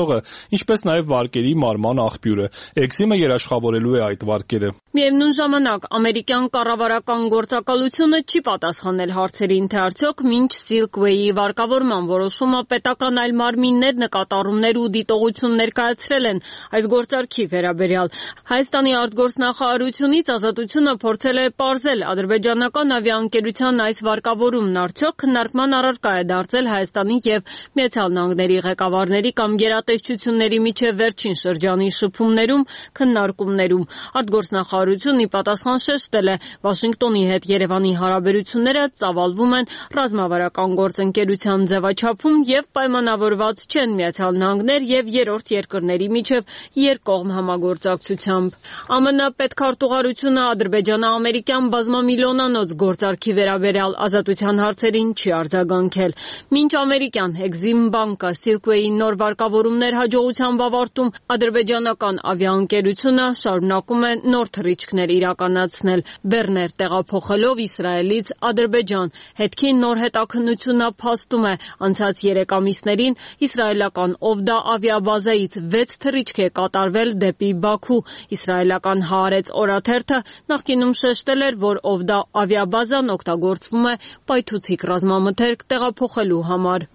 ինչպես նաև վարկերի մարման աղբյուրը։ Exim-ը երաշխավորելու է այդ վարկերը։ Միևնույն ժամանակ ամերիկյան կառավարական գործակալությունը չի պատասխանել հարցերին, թե արդյոք մինչ Silkway-ի վարկավորման որոշումը պետական այլ մարմիններ նկատառումներ ու դիտողություն ներկայացրել են այս գործարքի վերաբերյալ։ Հայաստանի արտգործնախարարությունից Ազատությունը փորձել է պարզել ադրբեջանական ավիաընկերության այս վարկավորումն արդյոք քննարկման առարկա է դարձել Հայաստանի եւ Միացյալ Նահանգների ղեկավարների կամ գերատեսչությունների միջև վերջին շրջանի շփումներում, քննարկումներում։ Արտգործնախարարությունն ի պատասխան շեշտել է, Վաշինգտոնի հետ Երևանի հարաբերությունները ծավալվում են ռազմավարական գործընկերության ձևաչափում եւ պայմանավորված չեն Միացյալ Նահանգներ եւ երրորդ երկրների միջև երկկողմ համագործակցությամբ։ ԱՄՆ պետքարտուղարությունը Ադրբեջանը ամերիկյան բազմամիլիոնանոց գործարքի վերաբերյալ Ազատության հարցերին չի արձագանքել։ Մինչ ամերիկյան Exim բանկը Silkway-ի նոր վարկավորումներ հաջողությամբ ավարտում, ադրբեջանական ավիաընկերությունը շարունակում է նոր թռիչքներ իրականացնել, բեռներ տեղափոխելով Իսրայելից Ադրբեջան։ Հետքի նոր հետաքննությունը փաստում է, անցած երեք ամիսներին իսրայելական Ovda ավիաբազայից վեց թռիչք է կատարվել դեպի Բաքու։ Իսրայելական Հaaretz օրաթերթը նախկինում շեշտել էր, որ Ovda ավիաբազան օգտագործվում է պայթուցիկ ռազմամթերք տեղափոխելու համար։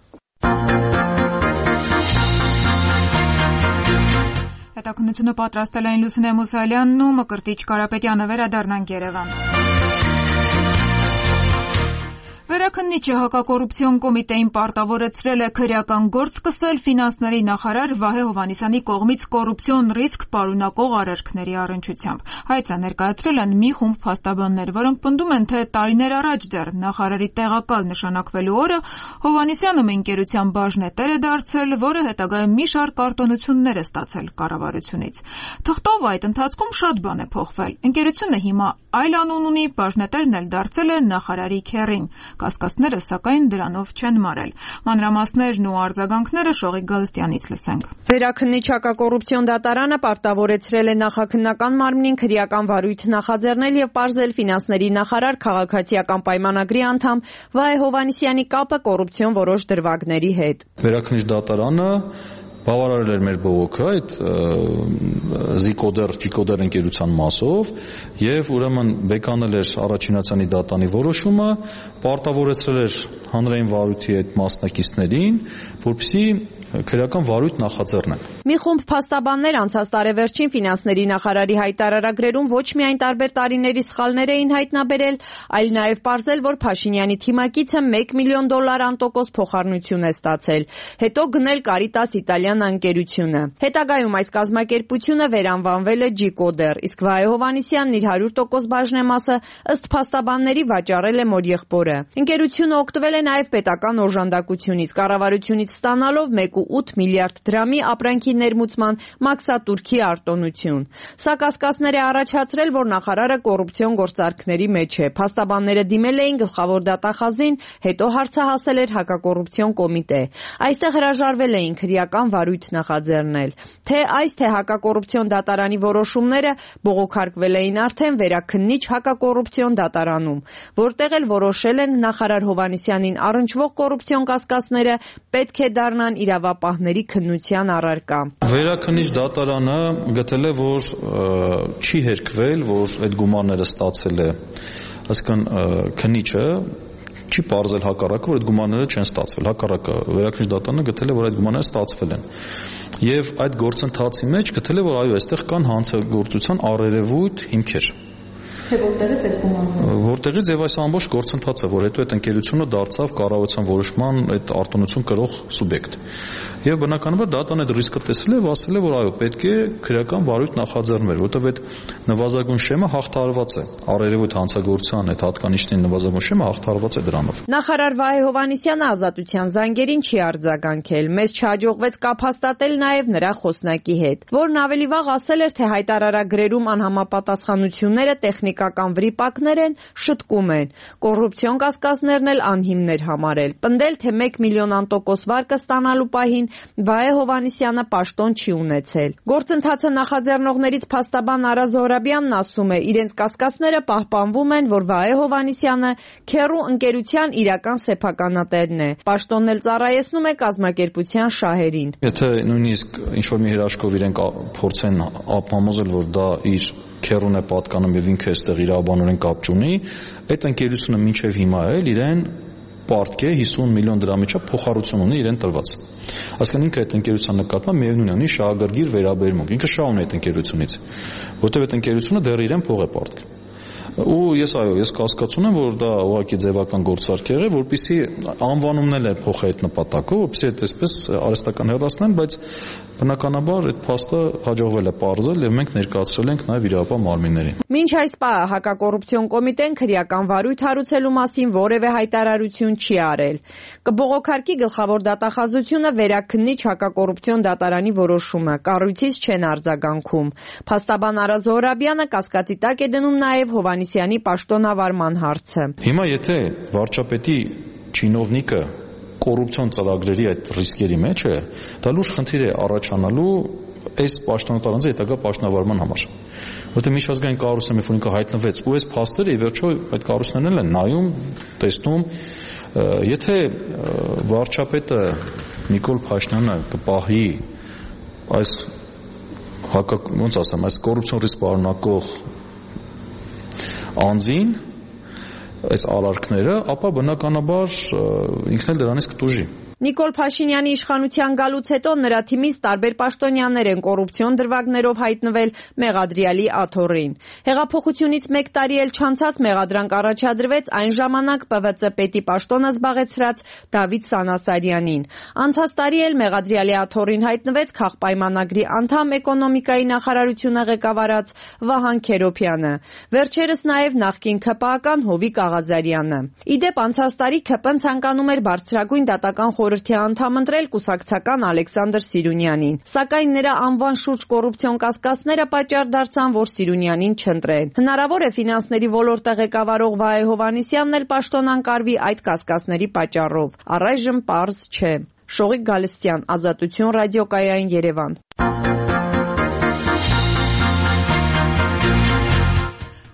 Հետաքննությունը պատրաստել են Լուսինե Մուսալյանն ու Մկրտիչ Կարապետյանը։ Վերադառնանք Երևան։ Վերաքննիչը հակակոռուպցիոն կոմիտեին պարտավորեցրել է քրեական գործ սկսել ֆինանսների նախարար Վահե Հովհաննիսյանի կողմից կոռուպցիոն ռիսկ պարունակող արարքների առնչությամբ։ Հայցը ներկայացրել են մի խումբ փաստաբաններ, որոնք պնդում են, թե տարիներ առաջ դեռ նախարարի տեղակալ նշանակվելու օրը Հովհաննիսյանը մի ընկերության բաժնետեր է դարձել, որը հետագայում մի շարք արտոնություններ է ստացել կառավարությունից։ Թղթով այդ ընթացքում շատ բան է փոխվել։ Ընկերությունը հիմա այլ անուն ունի, բաժնետերն էլ դարձել է նախարարի քեռին։ Կասկածները, սակայն, դրանով չեն մարել։ Մանրամասներն ու արձագանքները Շողիկ Գալստյանից լսենք։ Վերաքննիչ հակակոռուպցիոն դատարանը պարտավորեցրել է նախաքննական մարմնին քրեական վարույթ նախաձեռնել եւ պարզել ֆինանսների նախարար քաղաքացիական պայմանագրի անդամ Վահե Հովհաննիսյանի կապը կոռուպցիոն որոշ դրվագների հետ։ Վերաքննիչ դատարանը բավարարել էր մեր բողոքը այդ զիկոդեր, ճիկոդեր ընկերության մասով եւ ուրեմն բեկանել էր առաջինացանի դատանի որոշումը, պարտավորեցրել էր հանրային վարույթի այդ մասնակիցներին, որպեսզի քրեական վարույթ նախաձեռնեն։ Մի խումբ փաստաբաններ անցած տարեվերջին ֆինանսների նախարարի հայտարարագրերում ոչ միայն տարբեր տարիների սխալներ էին հայտնաբերել, այլ նաեւ պարզել, որ Փաշինյանի թիմակիցը մեկ միլիոն դոլար անտոկոս փոխառնություն է ստացել, հետո գնել Կարիտաս Իտալիան ընկերությունը։ Հետագայում այս կազմակերպությունը վերանվանվել է Ջիկոդեր, իսկ Վահե Հովհաննիսյանն իր հարյուր տոկոս բաժնեմասը ըստ փաստաբանների վաճառել է մոր եղբորը։ Ընկերությունը օգտվել է նաեւ պետական օժանդակությունից, կառավարությունից ստանալով մեկ կoma ութ միլիարդ դրամի ապրանքի ներմուծման մաքսատուրքի արտոնություն։ Սա կասկածներ է առաջացրել, որ նախարարը կոռուպցիոն գործարքների մեջ է։ Փաստաբանները դիմել էին գլխավոր դատախազին, հետո հարցահասել էր հակակոռուպցիոն կոմիտե։ Այստեղ հրաժարվել էին քրեական վարույթ նախաձեռնել։ Թե այս, թե հակակոռուպցիոն դատարանի որոշումները բողոքարկվել էին արդեն վերաքննիչ հակակոռուպցիոն դատարանում, որտեղ էլ որոշել են նախարար Հովհաննիսյանին առնչվող կոռուպցիոն կասկածները պետք է դառնան իրավապահների քննության առարկա։ Վերաքննիչ դատարանը գտել է, որ չի հերքվել, որ այդ գումարները ստացել է, այսինքն քննիչը չի պարզել հակառակը, որ այդ գումարները չեն ստացվել։ Հակառակը վերաքննիչ դատարանը գտել է, որ այդ գումարները ստացվել են։ Եվ այդ գործընթացի մեջ գտել է, որ այո, այստեղ կան հանցագործության առերևույթ հիմքեր։ Թե որտեղից այդ գումարները։ Որտեղից եւ այս ամբողջ գործընթացը, որ հետո այդ ընկերությունը դարձավ կառավարության որոշման այդ արտոնություն կրող սուբյեկտ։ Եվ բնականաբար դատան այդ ռիսկը տեսել է, ասել է, որ այո, պետք է քրեական վարույթ նախաձեռնվեր, որտեղ այդ նվազագույն շեմը հաղթարված է։ Առերևույթ հանցագործության այդ հատկանիշների նվազագույն շեմը հաղթարված է դրանով։ Նախարար Վահե Հովհաննիսյանը ազատության զանգերին չի արձագանքել։ Մեզ չհաջողվեց կապ հաստատել նաեւ նրա խոսնակի հետ, որն ավելի վաղ ասել էր, թե հայտարարագրերում անհամապատասխանությունները տեխնիկական վրիպակներ են, շտկում են։ Կոռուպցիոն կասկածներն էլ անհիմներ համարել։ Պնդել, թե մեկ միլիոն անտոկոս վարկը ստանալու պահին Վահե Հովհաննիսյանը պաշտոն չի ունեցել։ Գործընթացը նախաձեռնողներից փաստաբան Արա Զոհրաբյանն ասում է, իրենց կասկածները պահպանվում են, որ Վահե Հովհաննիսյանը քեռու ընկերության իրական սեփականատերն է։ Պաշտոնն էլ ծառայեցնում է կազմակերպության շահերին։ Եթե նույնիսկ ինչ-որ մի հրաշքով իրենք փորձեն ապահովել, որ դա իր քեռուն է պատկանում եւ ինքը այստեղ իրավաբանորեն կապ չունի, այդ ընկերությունը մինչեւ հիմա էլ իրեն պարտք է հիսուն միլիոն դրամի չափ փոխառություն ունի իրեն տրված։ Այսինքն ինքը այդ ընկերության նկատմամբ միևնույն է ունի շահագրգիռ վերաբերմունք։ Ինքը շահ ունի այդ ընկերությունից, որտեղ այդ ընկերությունը դեռ իրեն փող է պարտել։ Ու ես այո, ես կասկածում եմ, որ դա ուղղակի ձևական գործարք եղել, որպեսզի անվանումն էլ փոխի այդ նպատակով, որպեսզի այդ այսպես արհեստական հեռացնեն, բայց բնականաբար այդ փաստը հաջողվել է պարզել եւ մենք ներկայացրել ենք նաեւ իրավապահ մարմիններին։ Մինչ այս պահը հակակոռուպցիոն կոմիտեն քրեական վարույթ հարուցելու մասին որևէ հայտարարություն չի արել։ Կբողոքարկի գլխավոր դատախազությունը վերաքննիչ հակակոռուպցիոն դատարանի որոշումը, կառույցից չեն արձագանքում։ Փաստաբան Արա Զոհրաբյանը կասկածի տակ է դնում նաեւ Հովհաննիսյանի պաշտոնավարման հարցը։ Հիմա եթե վարչապետի չինովնիկը կոռուպցիոն ծրագրերի այդ ռիսկերի մեջ է, դա լուրջ խնդիր է առաջանալու այս պաշտոնատարանձի հետագա պաշտոնավարման համար։ Որտեղ միջազգային կառույցը մի ֆոնիկա հայտնվեց ու այս փաստերը ի վերջո այդ կառույցներն են նայում, տեսնում, եթե վարչապետը Նիկոլ Փաշինյանը կպահի այս հակա ոնց ասեմ, այս կոռուպցիոն ռիսկ պարունակող անձին այս արարքները, ապա բնականաբար ինքն էլ դրանից կտուժի։ Նիկոլ Փաշինյանի իշխանության գալուց հետո նրա թիմից տարբեր պաշտոնյաներ են կոռուպցիոն դրվագներով հայտնվել Մեղադրյալի աթոռին։ Հեղափոխությունից մեկ տարի էլ չանցած մեղադրանք առաջադրվեց այն ժամանակ Պ V C պետի պաշտոնը զբաղեցրած Դավիթ Սանասարյանին։ Անցած տարի էլ Մեղադրյալի աթոռին հայտնվեց քաղպայմանագրի անդամ էկոնոմիկայի նախարարությունը ղեկավարած Վահան Քերոփյանը։ Վերջերս նաև նախկին K P A-կան Հովիկ Աղազարյանը։ Իդեպ անցած տարի K P N ցանկանում էր բարձրագույն դատական խորհրդի անդամ ընտրել կուսակցական Ալեքսանդր Սիրունյանին, սակայն նրա անվան շուրջ կոռուպցիոն կասկածները պատճառ դարձան, որ Սիրունյանին չընտրեն։ Հնարավոր է ֆինանսների ոլորտը ղեկավարող Վահե Հովհաննիսյանն էլ պաշտոն անկարվի այդ կասկածների պատճառով։ Առայժմ պարզ չէ։ Շողիկ Գալստյան, Ազատություն ռադիոկայային, Երևան։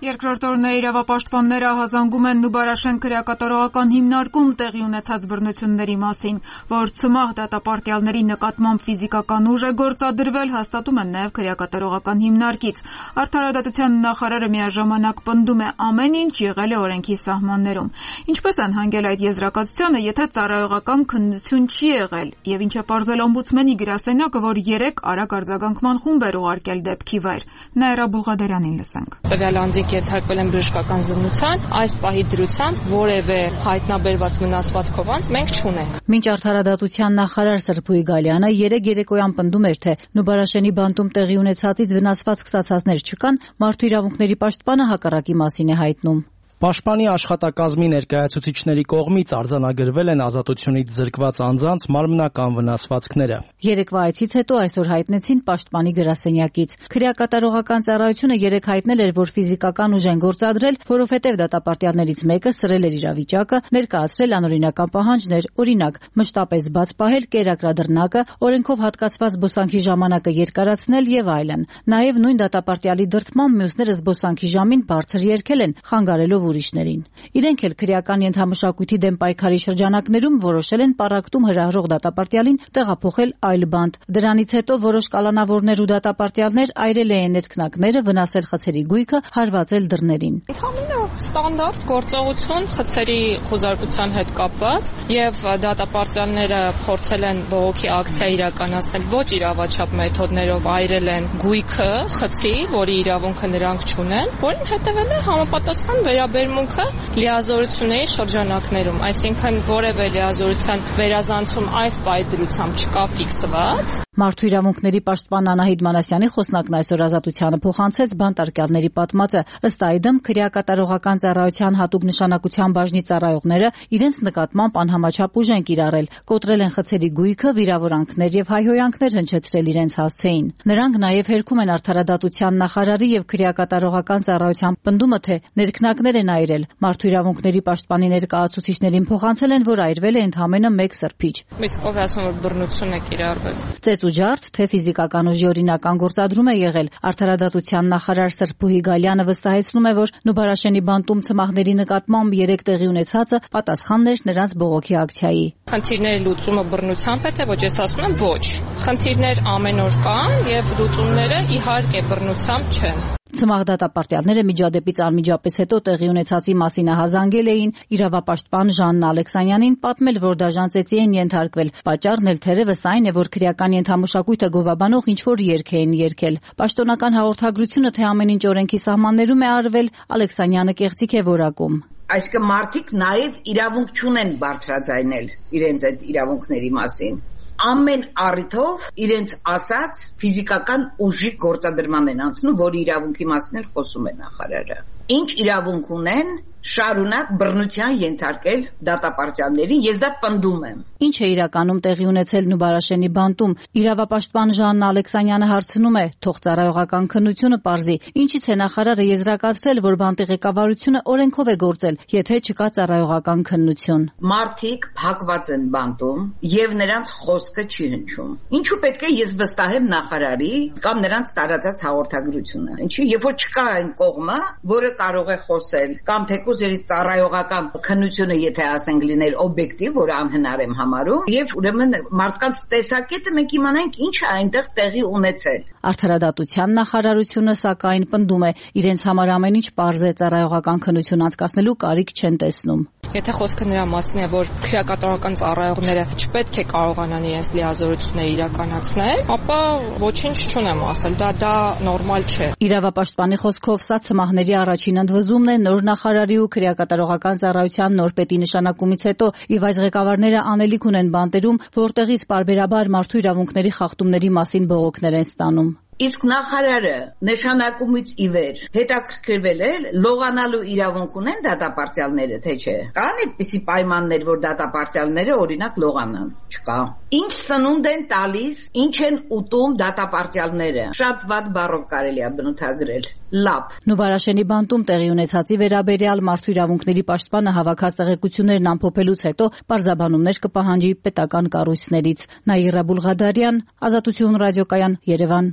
Երկրորդ օրն է իրավապաշտպանները ահազանգում են Նուբարաշեն քրեակատարողական հիմնարկում տեղի ունեցած բռնությունների մասին, որ ցմահ դատապարտյալների նկատմամբ ֆիզիկական ուժ է գործադրվել, հաստատում են նաև քրեակատարողական հիմնարկից։ Արդարադատության նախարարը միաժամանակ պնդում է ամեն ինչ եղել է օրենքի սահմաններում։ Ինչպես են հանգել այդ եզրակացությանը, եթե ծառայողական քննություն չի եղել, եւ ինչ է պարզել օմբուդսմենի գրասենյակը, որ երեք արագ արձագանքման խումբ էր ուղարկել դեպքի վայր։ Նաիրա Բուլղադարյանին լսենք։ Տվյալ անձիկ ենթարկվել են բժշկական զննության, այս պահի դրությամբ որևէ հայտնաբերված վնասվածքով անձ մենք չունենք։ Մինչ արդարադատության նախարար Սրփուի Գալյանը երեք երեկոյան պնդում էր, թե Նուբարաշենի բանտում տեղի ունեցածից վնասված կսացածներ չկան, մարդու իրավունքների պաշտպանը հակառակի մասին է հայտնում։ Պաշտպանի աշխատակազմի ներկայացուցիչների կողմից արձանագրվել են ազատությունից զրկված անձանց մարմնական վնասվածքները։ Երեկվա այցից հետո այսօր հայտնեցին պաշտպանի գրասենյակից։ Քրեակատարողական ծառայությունը երեք հայտնել էր, որ ֆիզիկական ուժ են գործադրել, որովհետև դատապարտյալներից մեկը սրել էր իրավիճակը, ներկայացրել անօրինական պահանջներ, օրինակ, մշտապես բաց պահել կերակրադրնակը, օրենքով հատկացված զբոսանքի ժամանակը երկարացնել եւ այլն։ Նաեւ նույն դատապարտյալի դրդմամբ մյուսները զբոսանքի ժամին բարձր երգել են, խանգարելով ուրիշներին։ Իրենք էլ քրեական ենթամշակույթի դեմ պայքարի շրջանակներում որոշել են պառակտում հրահրող դատապարտյալին տեղափոխել այլ բանտ։ Դրանից հետո որոշ կալանավորներ ու դատապարտյալներ այրել են ներքնակները, վնասել խցերի գույքը, հարվածել դռներին։ Ընդհանրապես ստանդարտ գործողություն խցերի խոզարկության հետ կապված եւ դատապարտյալները փորձել են բողոքի ակցիա իրականացնել ոչ իրավաչափ մեթոդներով, այրել են գույքը խցի, որի իրավունքը նրանք չունեն, որին հետեւել է համապատասխան վերաբերմունքը լիազորությունների շրջանակներում, այսինքն որևէ լիազորության վերազանցում այս պայդրությամբ չկա ֆիքսված։ Մարդու իրավունքների պաշտպան Անահիտ Մանասյանի խոսնակն այսօր Ազատությանը փոխանցեց բանտարկյալների պատմածը։ Ըստ այդմ քրեակատարողական ծառայության հատուկ նշանակության բաժնի ծառայողները իրենց նկատմամբ անհամաչափ ուժ են կիրառել, կոտրել են խցերի գույքը, վիրավորանքներ եւ հայհոյանքներ հնչեցրել իրենց հասցեին։ Նրանք նաեւ հերքում են արդարադատության նախարարի եւ քրեակատարողական ծառայության պնդումը, թե ներքնակներ են այրել։ Մարդու իրավունքների պաշտպանի ներկայացուցիչներին փոխանցել են, որ այրվել է ընդամենը մեկ սրբիչ։ Իսկ ով է ասում, որ բռնություն է կիրառվել։ Ծեծ ու ջարդ, թե ֆիզիկական ուժի օրինական գործադրում է եղել։ Արդարադատության նախարար Սրփուհի Գալյանը վստահեցնում է, որ Նուբարաշենի բանտում ցմահների նկատմամբ երեք տեղի ունեցածը պատասխանն էր նրանց բողոքի ակցիայի։ Խնդիրների լուծումը բռնությամբ է, թե ոչ, ես ասում եմ ոչ։ Խնդիրներ ամեն օր կան եւ լուծումները իհարկե բռնությամբ չեն։ Ցմահ դատապարտյալները միջադեպից անմիջապես հետո տեղի ունեցածի մասին ահազանգել էին իրավապաշտպան Ժաննա Ալեքսանյանին, պատմել, որ դաժան ծեծի են ենթարկվել։ Պատճառն էլ թերևս այն է, որ քրեական ենթամշակույթը գովաբանող ինչ-որ երգ էին երգել։ Պաշտոնական հաղորդագրությունը, թե ամեն ինչ օրենքի սահմաններում է արվել, Ալեքսանյանը կեղծիք է որակում։ Այսինքն մարդիկ նաև իրավունք չունեն բարձրաձայնել իրենց այդ իրավունքների մասին։ Ամեն առիթով իրենց ասած ֆիզիկական ուժի գործադրման են անցնում, որի իրավունքի մասին էլ խոսում է նախարարը։ Ինչ իրավունք ունեն շարունակ բռնության ենթարկել դատապարտյալներին, ես դա պնդում եմ։ Ինչ է իրականում տեղի ունեցել Նուբարաշենի բանտում։ Իրավապաշտպան Ժաննա Ալեքսանյանը հարցնում է, թող ծառայողական քննությունը պարզի, ինչից է նախարարը եզրակացրել, որ բանտի ղեկավարությունը օրենքով է գործել, եթե չկա ծառայողական քննություն։ Մարդիկ փակված են բանտում եւ նրանց խոսքը չի հնչում։ Ինչու պետք է ես վստահեմ նախարարի կամ նրանց տարածած հաղորդագրությունը։ Ինչի, երբ որ չկա այն կողմը, որը կարող է խոսել, կամ թե Ձեր ծառայողական քննությունը, եթե ասենք լիներ օբյեկտիվ, որ անհնար եմ համարում, եւ ուրեմն մարդկանց տեսակետը մենք իմանանք ինչ է այնտեղ տեղի ունեցել։ Արդարադատության նախարարությունը սակայն պնդում է, իրենց համար ամեն ինչ պարզ է, ծառայողական քննություն անցկացնելու կարիք չեն տեսնում։ Եթե խոսքը նրա մասին է, որ քրեակատարական ծառայողները չպետք է կարողանան իրենց լիազորությունները իրականացնել, ապա ոչինչ չունեմ ասել, դա դա նորմալ չէ։ Իրավապաշտպանի խոսքով սա ցմահների առաջին ընդվզումն է նոր նախարարի ու քրեակատարողական ծառայության նոր պետի նշանակումից հետո, եւ այս ղեկավարները անելիք ունեն բանտերում, որտեղից պարբերաբար մարդու իրավունքների խախտումների մասին բողոքներ են ստանում։ Իսկ նախարարը նշանակումից ի վեր հետաքրքրվել է լողանալու իրավունք ունեն դատապարտյալները, թե չէ։ Կան այդպիսի պայմաններ, որ դատապարտյալները օրինակ լողանան։ Չկա։ Ինչ սնունդ են տալիս, ինչ են ուտում դատապարտյալները։ Շատ վատ բառով կարելի է բնութագրել։ Լապ։ Նուբարաշենի բանտում տեղի ունեցածի վերաբերյալ մարդու իրավունքների պաշտպանը հավաքած տեղեկություններն ամփոփելուց հետո պարզաբանումներ կպահանջի պետական կառույցներից։ Նաիրա Բուլղադարյան, Ազատություն ռադիոկայան, Երևան։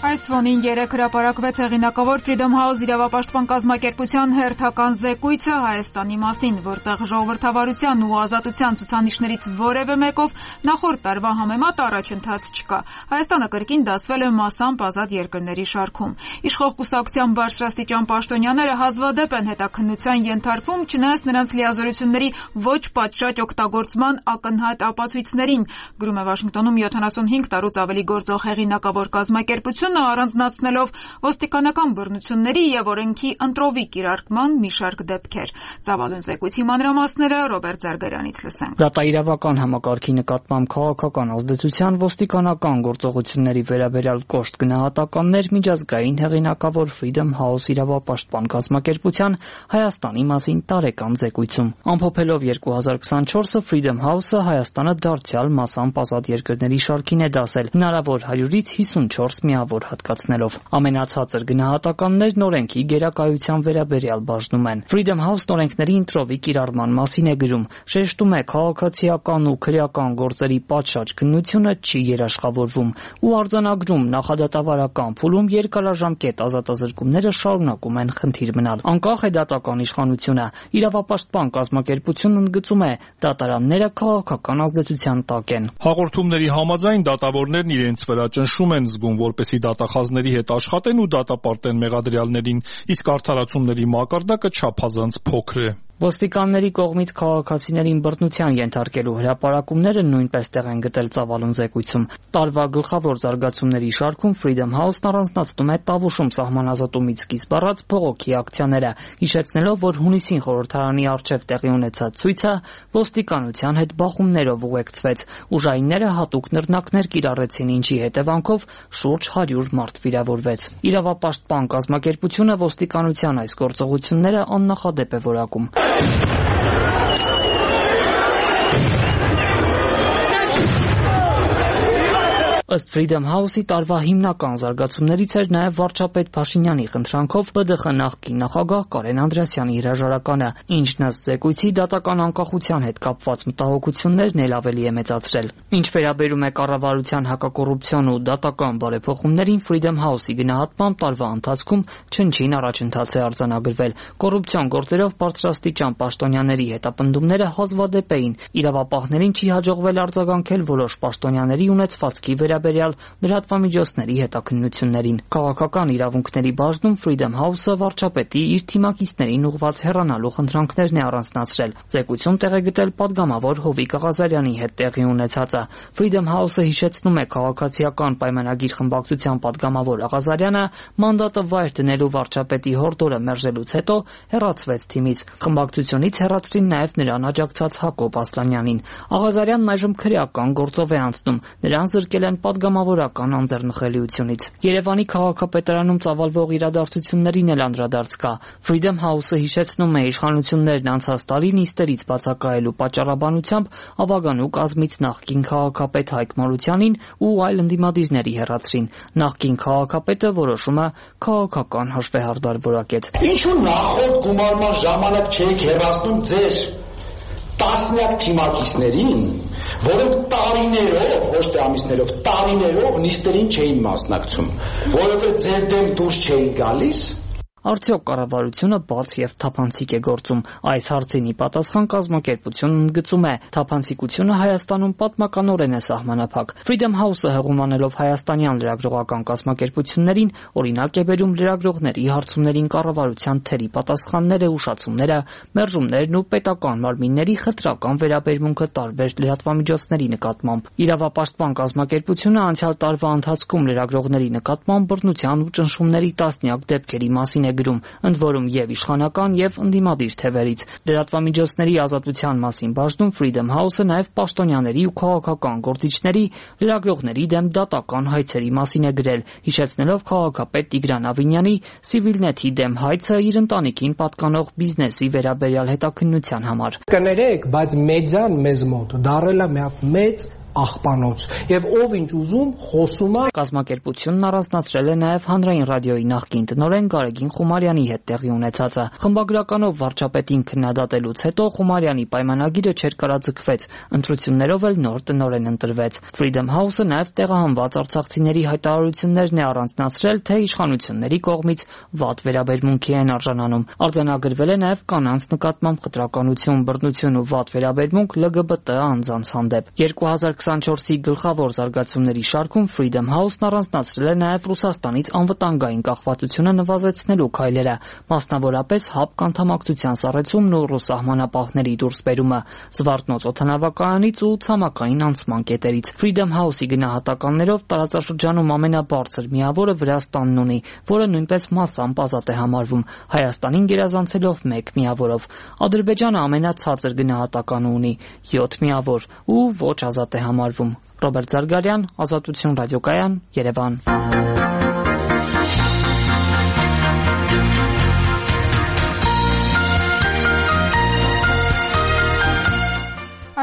Այս ֆոնին երեկ հրապարակվեց հեղինակավոր Freedom House իրավապաշտպան կազմակերպության հերթական զեկույցը Հայաստանի մասին, որտեղ ժողովրդավարության ու ազատության ցուցանիշներից որևէ մեկով նախորդ տարվա համեմատ առաջընթաց չկա։ Հայաստանը կրկին դասվել է մասամբ ազատ երկրների շարքում։ Իշխող կուսակցության բարձրաստիճան պաշտոնյաները հազվադեպ են հետաքննության ենթարկվում, չնայած նրանց լիազորությունների ոչ պատշաճ օգտագործման ակնհայտ ապացույցներին, գրում է Վաշինգտոնում յոթանասունհինգ տարուց ավելի գործող հեղինակավոր կազմակերպությունը, առանձնացնելով ոստիկանական բռնությունների եւ օրենքի ընտրովի կիրարկման մի շարք դեպքեր։ Ծավալուն զեկույցի մանրամասները Ռոբերտ Զարգարյանից լսենք։ Դատաիրավական համակարգի նկատմամբ քաղաքական ազդեցության ոստիկանական գործողությունների վերաբերյալ կոշտ գնահատականներ միջազգային հեղինակավոր Freedom House իրավապաշտպան կազմակերպության Հայաստանի մասին տարեկան զեկույցում։ Ամփոփելով երկու հազար քսանչորսը Freedom House-ը Հայաստանը դարձյալ մասամբ ազատ երկրների շարքին է դասել, հնարավոր հարյուրից հիսունչորս միավոր հատկացնելով։ Ամենացածր գնահատականներն օրենքի գերակայության վերաբերյալ բաժնում են։ Freedom House օրենքների ընտրովի կիրառման մասին է գրում, շեշտում է քաղաքացիական ու քրեական գործերի պատշաճ քննությունը չի երաշխավորվում ու արձանագրում նախադատավարական փուլում երկարաժամկետ ազատազրկումները շարունակում են խնդիր մնալ։ Անկախ է դատական իշխանությունը, իրավապաշտպան կազմակերպությունն ընդգծում է, դատարանները քաղաքական ազդեցության տակ են։ Հաղորդումների համաձայն դատավորներն իրենց վրա ճնշում են զգում, որպեսզի դատախազների հետ աշխատեն ու դատապարտեն մեղադրյալներին, իսկ արդարացումների մակարդակը չափազանց փոքր է։ Ոստիկանների կողմից քաղաքացիներին բռնության ենթարկելու հրապարակումները նույնպես տեղ են գտել ծավալուն զեկույցում։ Տարվա գլխավոր զարգացումների շարքում Freedom House-ն առանձնացնում է Տավուշում սահմանազատումից սկիզբ առած բողոքի ակցիաները, հիշեցնելով, որ հունիսին խորհրդարանի առջև տեղի ունեցած ցույցը ոստիկանության հետ բախումներով ուղեկցվեց։ Ուժայինները հատուկ նռնակներ կիրառեցին, ինչի հետևանքով շուրջ հարյուր մարդ վիրավորվեց։ Իրավապաշտպան կազմակերպությունը ոստիկանության այս գործողությունները աննախադեպ է որակում։ Ըստ Freedom House-ի տարվա հիմնական զարգացումներից էր նաև վարչապետ Փաշինյանի խնդրանքով Պ ԴԽ նախկին նախագահ Կարեն Անդրեասյանի հրաժարականը, ինչն ըստ զեկույցի դատական անկախության հետ կապված մտահոգություններն էլ ավելի է մեծացրել։ Ինչ վերաբերում է կառավարության հակակոռուպցիոն ու դատական բարեփոխումներին, Freedom House-ի գնահատմամբ տարվա ընթացքում չնչին առաջընթաց է արձանագրվել։ Կոռուպցիոն գործերով բարձրաստիճան պաշտոնյաների հետապնդումները հազվադեպ էին։ Իրավապահներին չի հաջողվել արձագանքել որոշ պաշտոնյաների ունեցվածքի վերաբերյալ լրատվամիջոցների հետաքննություններին։ Քաղաքական իրավունքների բաժնում Freedom House-ը վարչապետի իր թիմակիցներին ուղղված հեռանալու խնդրանքներն է առանձնացրել։ Զեկույցում տեղ է գտել падգամավոր Հովիկ Աղազարյանի հետ տեղի ունեցածը։ Freedom House-ը հիշեցնում է քաղաքացիական պայմանագիր խմբակցության падգամավոր Աղազարյանը մանդատը վայր դնելու վարչապետի հորդորը մերժելուց հետո հեռացվեց թիմից։ Խմբակցությունից հեռացրին նաև նրան աջակցած Հակոբ Ասլանյանին։ Աղազարյանն այժմ քրեական գործով է անցնում։ Նրան զրկել են պատգամավորական անձեռնխելիությունից։ Երևանի քաղաքապետարանում ծավալվող իրադարձություններին էլ անդրադարձ կա։ Freedom House-ը հիշեցնում է իշխանություններն անցած տարի նիստերից բացակայելու պատճառաբանությամբ Ավագանու կազմից նախկին քաղաքապետ Հայկ Մարությանին ու այլ ընդդիմադիրների հեռացրին։ Նախկին քաղաքապետը որոշումը քաղաքական հաշվեհարդար որակեց։ Ինչու նախորդ գումարման ժամանակ չեք հեռացնում ձեր տասնյակ թիմակիցներին, որոնք տարիներով, ոչ թե ամիսներով, տարիներով նիստերին չէին մասնակցում, որովհետև ձեր դեմ դուրս չէին գալիս։ Արդյոք կառավարությունը բաց եւ թափանցիկ է գործում։ Այս հարցին ի պատասխան կազմակերպությունն ընդգծում է, թափանցիկությունը Հայաստանում պատմականորեն է սահմանափակ։ Freedom House-ը հղում անելով հայաստանյան լրագրողական կազմակերպություններին օրինակ է բերում լրագրողների հարցումներին կառավարության թերի պատասխանները, ուշացումները, մերժումներն ու պետական մարմինների խտրական վերաբերմունքը տարբեր լրատվամիջոցների նկատմամբ։ Իրավապաշտպան կազմակերպությունը անցյալ տարվա ընթացքում լրագրողների նկատմամբ բռնության ու ճնշումների տասնյակ դեպքերի մասին է գրում, ընդ որում եւ իշխանական եւ ընդդիմադիր թևերից։ Լրատվամիջոցների ազատության մասին բաժնում Freedom House-ը նաեւ պաշտոնյաների ու քաղաքական գործիչների լրագրողների դեմ դատական հայցերի մասին է գրել, հիշեցնելով քաղաքապետ Տիգրան Ավինյանի Civilnet-ի դեմ հայցը իր ընտանիքին պատկանող բիզնեսի վերաբերյալ հետաքննության համար։ Կներեք, բայց մեդիան մեզ մոտ դարել է մի հատ մեծ աղբանոց եւ ով ինչ ուզում խոսում է։ Կազմակերպությունն առանձնացրել է նաեւ հանրային ռադիոյի նախկին տնօրեն Գարեգին Խումարյանի հետ տեղի ունեցածը։ Խմբագրականով վարչապետին քննադատելուց հետո Խումարյանի պայմանագիրը չերկարաձգվեց, ընտրություններով էլ նոր տնօրեն ընտրվեց։ Freedom House-ը նաեւ տեղահանված արցախցիների հայտարարություններն է առանձնացրել, թե իշխանությունների կողմից վատ վերաբերմունքի են արժանանում։ Արձանագրվել է նաեւ կանանց նկատմամբ խտրականություն, բռնություն ու վատ վերաբերմունք L G B T անձանց հանդեպ։ երկու հազար քսաներկուի գլխավոր զարգացումների շարքում Freedom House-ն առանձնացրել է նաև Ռուսաստանից անվտանգային կախվածությունը նվազեցնելու քայլերը, մասնավորապես ՀԱՊԿ անդամակցության սառեցումն ու ռուս սահմանապահների դուրսբերումը, Զվարթնոց օդանավակայանից ու ցամաքային անցման կետերից։ Freedom House-ի գնահատականներով տարածաշրջանում ամենաբարձր միավորը Վրաստանն ունի, որը նույնպես մասամբ ազատ է համարվում, Հայաստանին գերազանցելով մեկ միավորով։ Ադրբեջանը ամենացածր գնահատականը ունի՝ յոթ միավոր ու ոչ ազատ է համարվում։ Ռոբերտ Զարգարյան, Ազատություն ռադիոկայան, Երևան։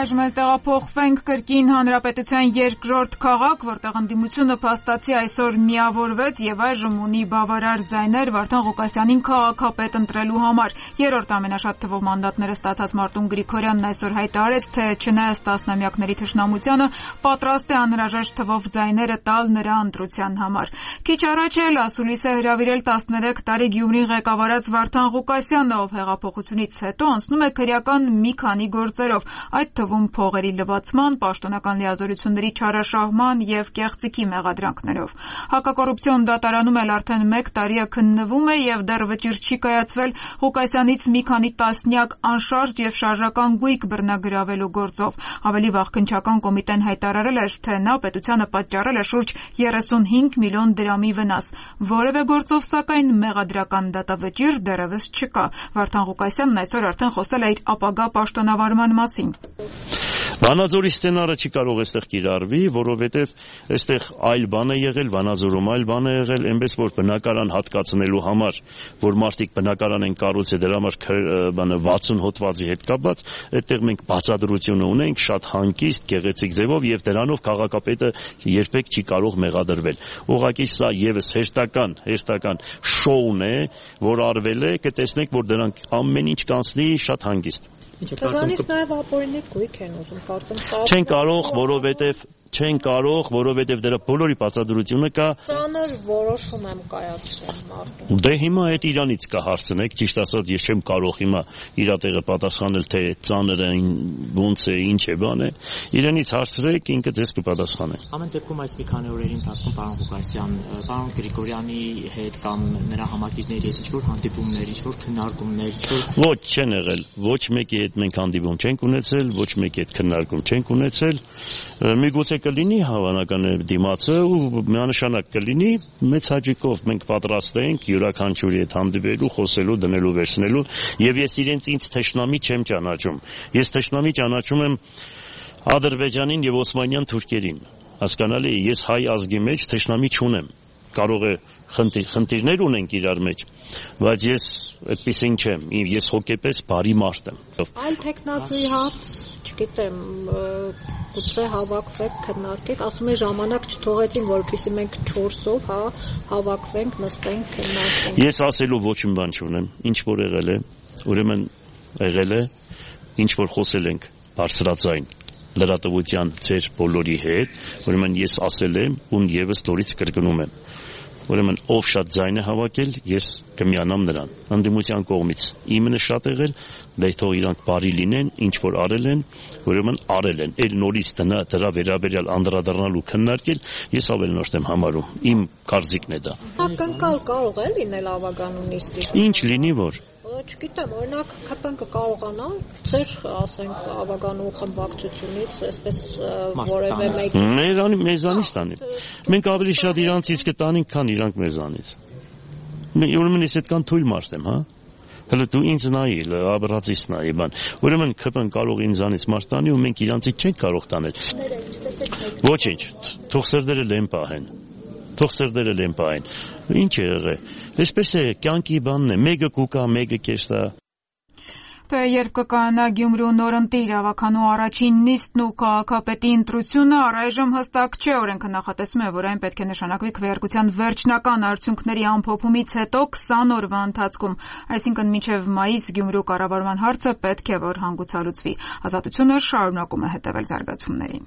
Այժմ էլ տեղափոխվենք կրկին հանրապետության երկրորդ քաղաք, որտեղ ընդդիմությունը փաստացի այսօր միավորվեց եւ այժմ ունի բավարար ձայներ Վարդան Ղուկասյանին քաղաքապետ ընտրելու համար։ Երրորդ ամենաշատ թվով մանդատները ստացած Մարտուն Գրիգորյանն այսօր հայտարարեց, թե չնայած տասնամյակների թշնամությանը պատրաստ է անհրաժեշտ թվով ձայները տալ նրա ընտրության համար։ Քիչ առաջ էլ ասուլիս է հրավիրել տասներեք տարի Գյումրին ղեկավարած Վարդան Ղուկասյանը, ով հեղափոխությունից հետո անցնում է քրեական մի քանի գործերով, այդ թվում փողերի լվացման, պաշտոնական լիազորությունների չարաշահման եւ կեղծիքի մեղադրանքներով։ Հակակոռուպցիոն դատարանում էլ արդեն մեկ տարի է քննվում է եւ դեռ վճիռ չի կայացվել Ղուկասյանից մի քանի տասնյակ անշարժ եւ շարժական գույք բռնագրավելու գործով։ Ավելի վաղ քննչական կոմիտեն հայտարարել էր, թե նա պետությանը պատճառել է շուրջ երեսունհինգ միլիոն դրամի վնաս։ Որևէ գործով սակայն մեղադրական դատավճիռ դեռևս չկա։ Վարդան Ղուկասյանն այսօր արդեն խոսել է իր ապագա պաշտոնավարման մասին։ Վանաձորի սցենարը չի կարող այստեղ կիրառվի, որովհետև այստեղ այլ բան է եղել, Վանաձորում այլ բան է եղել, այնպես որ բնակարան հատկացնելու համար, որ մարդիկ բնակարան են կառուցել, դրա համար բանը վաթսուն հոդվածի հետ կապված, այդտեղ մենք բացատրությունը ունենք շատ հանգիստ, գեղեցիկ ձևով եւ դրանով քաղաքապետը երբեք չի կարող մեղադրվել։ Ուղղակի սա եւս հերթական, հերթական շոուն է, որ արվել է, կտեսնեք, որ դրանք ամեն ինչ կանցնի շատ հանգիստ։ Դրանից նաև ապօրինի գույք են ուզում, կարծեմ։ Չեն կարող, որովհետև չեն կարող, որովհետև դրա բոլորի բացատրությունը կա։ Ծանր որոշում եմ կայացրել մարդու։ Դե հիմա այդ իրանից կա հարցնեք, ճիշտ ասած ես չեմ կարող հիմա իրա տեղը պատասխանել, թե ծանրը ոնց է, ինչ է, բան է։ Իրանից հարցրեք, ինքը ձեզ կպատասխանե։ Ամեն դեպքում այս մի քանի օրերի ընթացքում պարոն Ղուկասյան, պարոն Գրիգորյանի հետ կամ նրա համակիցների հետ ինչ-որ հանդիպումներ, ինչ-որ քննարկումներ, ինչ-որ Ոչ, չեն եղել։ Ոչ մեկի հետ մենք հանդիպում չենք ունեցել, ոչ մեկի հետ քննարկում չենք ունեցել։ Միգուցե կլինի հավանական է դիմացը ու միանշանակ կլինի, մեծ հաճույքով մենք պատրաստ ենք յուրաքանչյուրի հետ հանդիպելու, խոսելու, դնելու, վերցնելու եւ ես իրենց ինձ թշնամի չեմ ճանաչում։ Ես թշնամի ճանաչում եմ Ադրբեջանին եւ Օսմանյան թուրքերին։ Հասկանալի է, ես հայ ազգի մեջ թշնամի չունեմ։ Կարող է խնդիր, խնդիրներ ունենք իրար մեջ, բայց ես այդպեսին չեմ, ես հոգեպես բարի մարդ եմ։ Այլ տեխնացուի հարց, չգիտեմ, գուցե հավաքվեք, քննարկեք, ասում է ժամանակ չթողեցին, որպեսզի մենք չորսով, հա, հավաքվենք, նստենք, քննարկենք։ Ես ասելու ոչ մի բան չունեմ, ինչ որ եղել է, ուրեմն եղել է, ինչ որ խոսել ենք բարձրաձայն լրատվության ձեր բոլորի հետ, ուրեմն ես ասել եմ ու եւս նորից կրկնում եմ։ Ուրեմն ով շատ ձայն է հավաքել, ես կմիանամ նրան։ Ընդդիմության կողմից իմը շատ եղել, դե թող իրանք բարի լինեն, ինչ որ արել են, ուրեմն արել են։ Էլ նորից դնա դրա վերաբերյալ անդրադառնալ ու քննարկել, ես ավելնորդ եմ համարում։ Իմ կարծիքն է դա։ Ակնկալ կարող է լինել ավագանունիստի։ Ինչ լինի որ Չգիտեմ, օրինակ ՔՊ-ն կարողանա ձեր, ասենք, ավագանու խմբակցությունից այսպես որևէ մեկ մեզանից տանի։ Մենք ավելի շատ իրանցից կտանենք, քան իրանք մեզանից։ Ուրեմն ես այդքան թույլ մարդ եմ, հա։ Հələ դու ինձ նայի, աբրացիս նայի բան։ Ուրեմն ՔՊ-ն կարող ինձանից մարդ տանի ու մենք իրանցից չենք կարող տանել։ Ոչինչ, թող սրդերը լեն պահեն։ Թող սրդերը լեն պահեն։ Ինչ է եղել։ Այսպես է, կյանքի բանն է, մեկը կուկա, մեկը կեշտա։ Թե երբ կկանա Գյումրու նորընտի իրավականու առաջին նիստն ու քաղաքապետի ընտրությունը, առայժմ հստակ չէ, օրենքը նախատեսում է, որ այն պետք է նշանակվի քվեարկության վերջնական արդյունքների ամփոփումից հետո քսան օրվա ընթացքում, այսինքն մինչև մայիս Գյումրու կառավարման հարցը պետք է որ հանգուցալուծվի։ Ազատությունը շարունակում է հետևել զարգացումներին։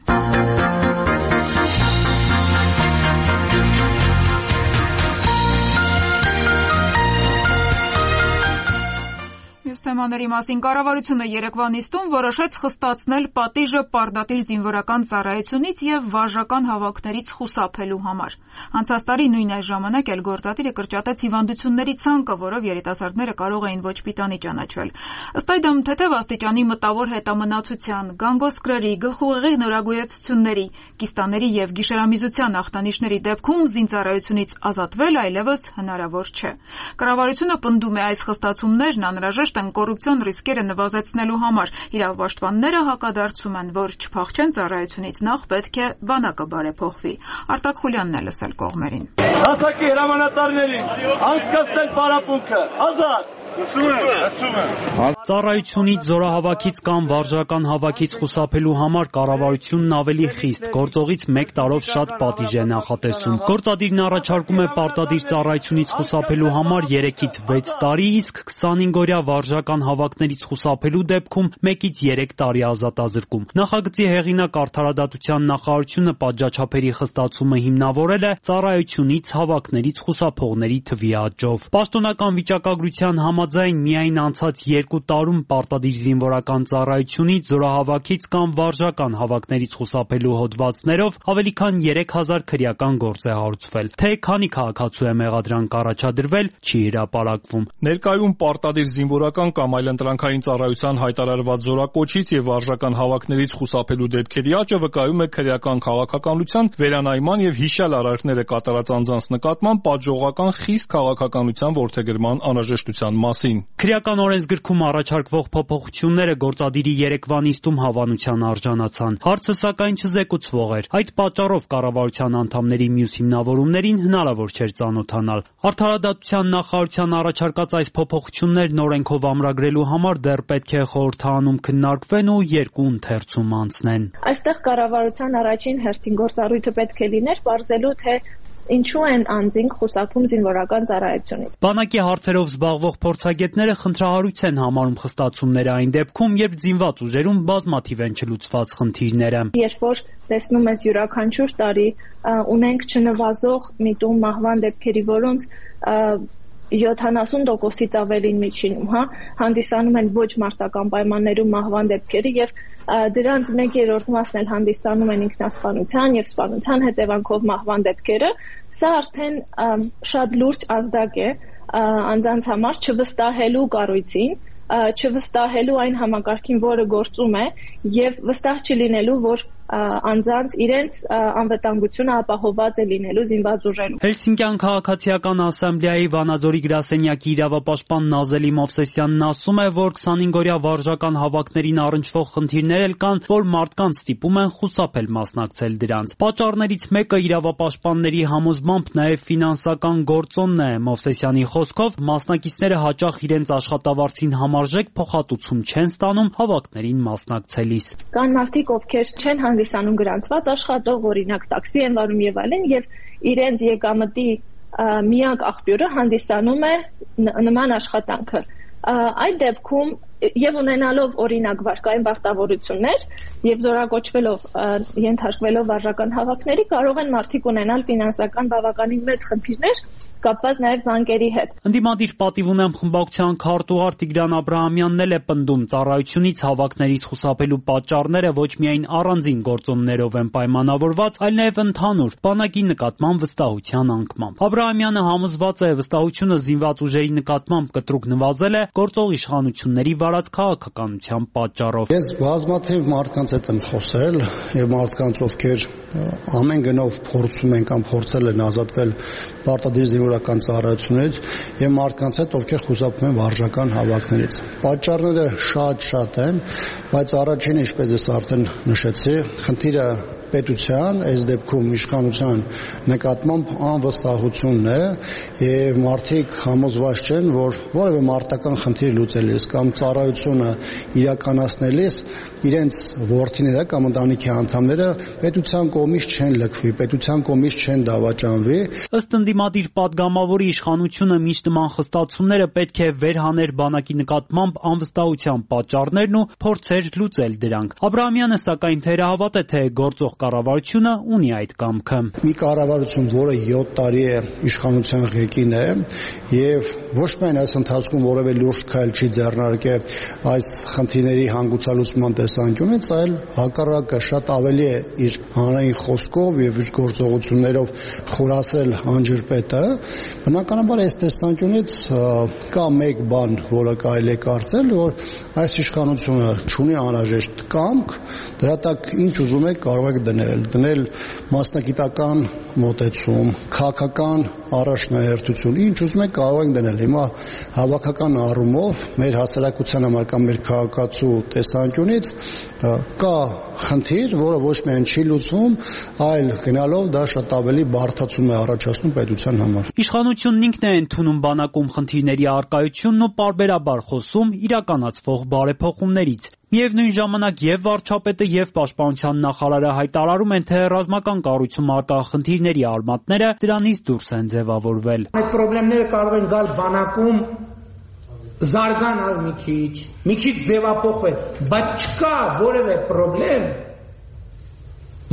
Մյուս թեմաների մասին կառավարությունը երեկվա նիստում որոշեց խստացնել պատիժը պարտադիր զինվորական ծառայությունից եւ վարժական հավաքներից խուսափելու համար։ Անցած տարի նույն այս ժամանակ էլ գործադիրը կրճատեց հիվանդությունների ցանկը, որով երիտասարդները կարող էին ոչ պիտանի ճանաչվել։ Ըստ այդմ, թեթև աստիճանի մտավոր հետամնացության, գանգոսկրերի, գլխուղեղի նորագույացությունների, կիստաների եւ գիշերամիզության ախտանիշների դեպքում զինծառայությունից ազատվել այլևս հնարավոր չէ։ Կառավարությունը պնդում է այս խստացումներն անհրաժեշտ են կոռուպցիոն ռիսկերը նվազեցնելու համար։ Իրավապաշտպանները հակադարձում են, որ չփախչեն ծառայությունից, նախ պետք է բանակը բարեփոխվի։ Արտակ Խուլյանն է լսել կողմերին։ Հասակի հրամանատարներին անցկացնել պարապմունքը, ազատ։ Ծառայությունից, զորահավաքից կամ վարժական հավաքից խուսափելու համար կառավարությունն ավելի խիստ, գործողից մեկ տարով շատ պատիժ է նախատեսում։ Գործադիրն առաջարկում է պարտադիր ծառայությունից խուսափելու համար երեքից վեց տարի, իսկ քսանհինգօրյա վարժական հավաքներից խուսափելու դեպքում մեկից երեք տարի ազատազրկում։ Նախագծի հեղինակ Արդարադատության նախարարությունը պատժաչափերի խստացումը հիմնավորել է ծառայությունից հավաքներից խուսափողների թվի աճով։ Պաշտոնական վիճակագրության համաձայն միայն անցած երկու տարում պարտադիր զինվորական ծառայությունից, զորահավաքից կամ վարժական հավաքներից խուսափելու հոդվածներով ավելի քան երեք հազար քրեական գործ է հարուցվել։ Թե քանի քաղաքացու է մեղադրանք առաջադրվել, չի հրապարակվում։ Ներկայում պարտադիր զինվորական կամ այլընտրանքային ծառայության հայտարարված զորակոչից եւ վարժական հավաքներից խուսափելու դեպքերի աճը վկայում է քրեական քաղաքականության վերանայման եւ հիշյալ արարքները կատարած անձանց նկատմամբ պատժողական խիստ քաղաքականության որդեգրման անհրաժեշտության մասին։ Քրեական օրենսգրքում առաջարկվող փոփոխությունները գործադիրի երեկվա նիստում հավանության արժանացան։ Հարցը սակայն չզեկուցվող էր։ Այդ պատճառով կառավարության անդամների մյուս հիմնավորումներին հնարավոր չէր ծանոթանալ։ Արդարադատության նախարարության առաջարկած այս փոփոխություններն օրենքով ամրագրելու համար դեռ պետք է խորհրդարանում քննարկվեն ու երկու ընթերցում անցնեն։ Այստեղ կառավարության առաջին հերթին գործառույթը պետք է լիներ բարձելու, թե ինչու են անձինք խուսափում զինվորական ծառայությունից։ Բանակի հարցերով զբաղվող փորձագետները խնդրահարույց են համարում խստացումները այն դեպքում, երբ զինված ուժերում բազմաթիվ են չլուծված խնդիրները։ Երբ որ տեսնում ես յուրաքանչյուր տարի ունենք չնվազող միտում մահվան դեպքերի, որոնց յոթանասուն տոկոսից ավելին միջինում, հա, հանդիսանում են ոչ մարտական պայմաններում մահվան դեպքերի եւ դրանց մեկ երրորդ մասն էլ հանդիսանում են ինքնասպանության եւ սպանության հետևանքով մահվան դեպքերը, սա արդեն շատ լուրջ ազդակ է անձանց համար չվստահելու կառույցին, չվստահելու այն համակարգին, որը գործում է եւ վստահ չլինելու, որ անձանց իրենց անվտանգությունը ապահովված է լինելու զինված ուժերում։ Հելսինկյան քաղաքացիական ասամբլեայի Վանաձորի գրասենյակի իրավապաշտպան Նազելի Մովսեսյանն ասում է, որ քսանհինգօրյա վարժական հավաքներին առնչվող խնդիրներ էլ կան, որ մարդկանց ստիպում են խուսափել մասնակցել դրանց։ Պատճառներից մեկը իրավապաշտպանների համոզմամբ նաև ֆինանսական գործոնն է։ Մովսեսյանի խոսքով մասնակիցները հաճախ իրենց աշխատավարձին համարժեք փոխհատուցում չեն ստանում հավաքներին մասնակցելիս։ Կան մարդիկ, ովքեր չեն հանդիսանում գրանցված աշխատող, օրինակ տաքսի են վարում եւ այլն, եւ իրենց եկամտի միակ աղբյուրը հանդիսանում է նման աշխատանքը։ Այդ դեպքում եւ ունենալով օրինակ վարկային բախտավորություններ եւ զորակոչվելով ենթարկվելով վարժական հավաքների կարող են մարդիկ ունենալ ֆինանսական բավականին մեծ խնդիրներ կապված նաև բանկերի հետ։ Ընդդիմադիր պատիվ ունեմ խմբակցության քարտուղար Տիգրան Աբրահամյանն էլ է պնդում ծառայությունից հավաքներից խուսափելու պատճառները ոչ միայն առանձին գործոններով են պայմանավորված, այլ նաև ընդհանուր բանակի նկատմամբ վստահության անկմամբ։ Աբրահամյանը համոզված է վստահությունը զինված ուժերի նկատմամբ կտրուկ նվազել է գործող իշխանությունների վարած քաղաքականության պատճառով։ Ես բազմաթիվ մարդկանց հետ եմ խոսել եւ մարդկանց ովքեր ամեն գնով փորձում են կամ փորձել են ազատվել պարտադիր զինվորական ծառայությունից եւ մարդկանց հետ ովքեր խուսափում են վարժական հավաքներից։ Պատճառները շատ-շատ են, բայց առաջինը, ինչպես ես արդեն նշեցի, խնդիրը պետության, այս դեպքում իշխանության նկատմամբ անվստահությունն է եւ մարդիկ համոզված չեն, որ որևէ մարտական խնդիր լուծելիս կամ ծառայությունը իրականացնելիս իրենց որդիները կամ ընտանիքի անդամները պետության կողմից չեն լքվի, պետության կողմից չեն դավաճանվի։ Ըստ ընդդիմադիր падգամավորի իշխանությունը միշտ նման խստացումները պետք է վերհաներ բանակի նկատմամբ անվստահության պատճառներն ու փորձեր լուծել դրանք։ Աբրահամյանը սակայն թերահավատ է, թե գործող կառավարությունը ունի այդ կամքը։ Մի կառավարություն, որը յոթ տարի է իշխանության ղեկին է եւ ոչ միայն այս ընթացքում որևէ լուրջ քայլ չի ձեռնարկել այս խնդիրների հանգուցալուծման տեսանկյունից, այլ հակառակը շատ ավելի է իր հանրային խոսքով եւ իր գործողություններով խորացել անջրպետը։ Բնականաբար այս տեսանկյունից կա մեկ բան, որը կարելի է կարծել, որ այս իշխանությունը չունի անհրաժեշտ կամք, դրա տակ ինչ ուզում է կարող է դնել, դնել մասնագիտական մոտեցում, քաղաքական առաջնահերթություն, ինչ ուզում եք կարող ենք դնել։ Հիմա հավաքական առումով մեր հասարակության համար կամ մեր քաղաքացու տեսանկյունից կա խնդիր, որը ոչ միայն չի լուծվում, այլ գնալով դա շատ ավելի բարդացում է առաջացնում պետության համար։ Իշխանությունն ինքն է ընդունում բանակում խնդիրների առկայությունն ու պարբերաբար խոսում իրականացվող բարեփոխումներից։ Միևնույն ժամանակ եւ վարչապետը եւ պաշտպանության նախարարը հայտարարում են, թե ռազմական կառույցում արկա խնդիրների արմատները դրանից դուրս են ձևավորվել։ Այդ խնդիրները կարող են գալ բանակում զարգանալ մի քիչ, մի քիչ ձևափոխվել, բայց չկա որևէ խնդրեմ,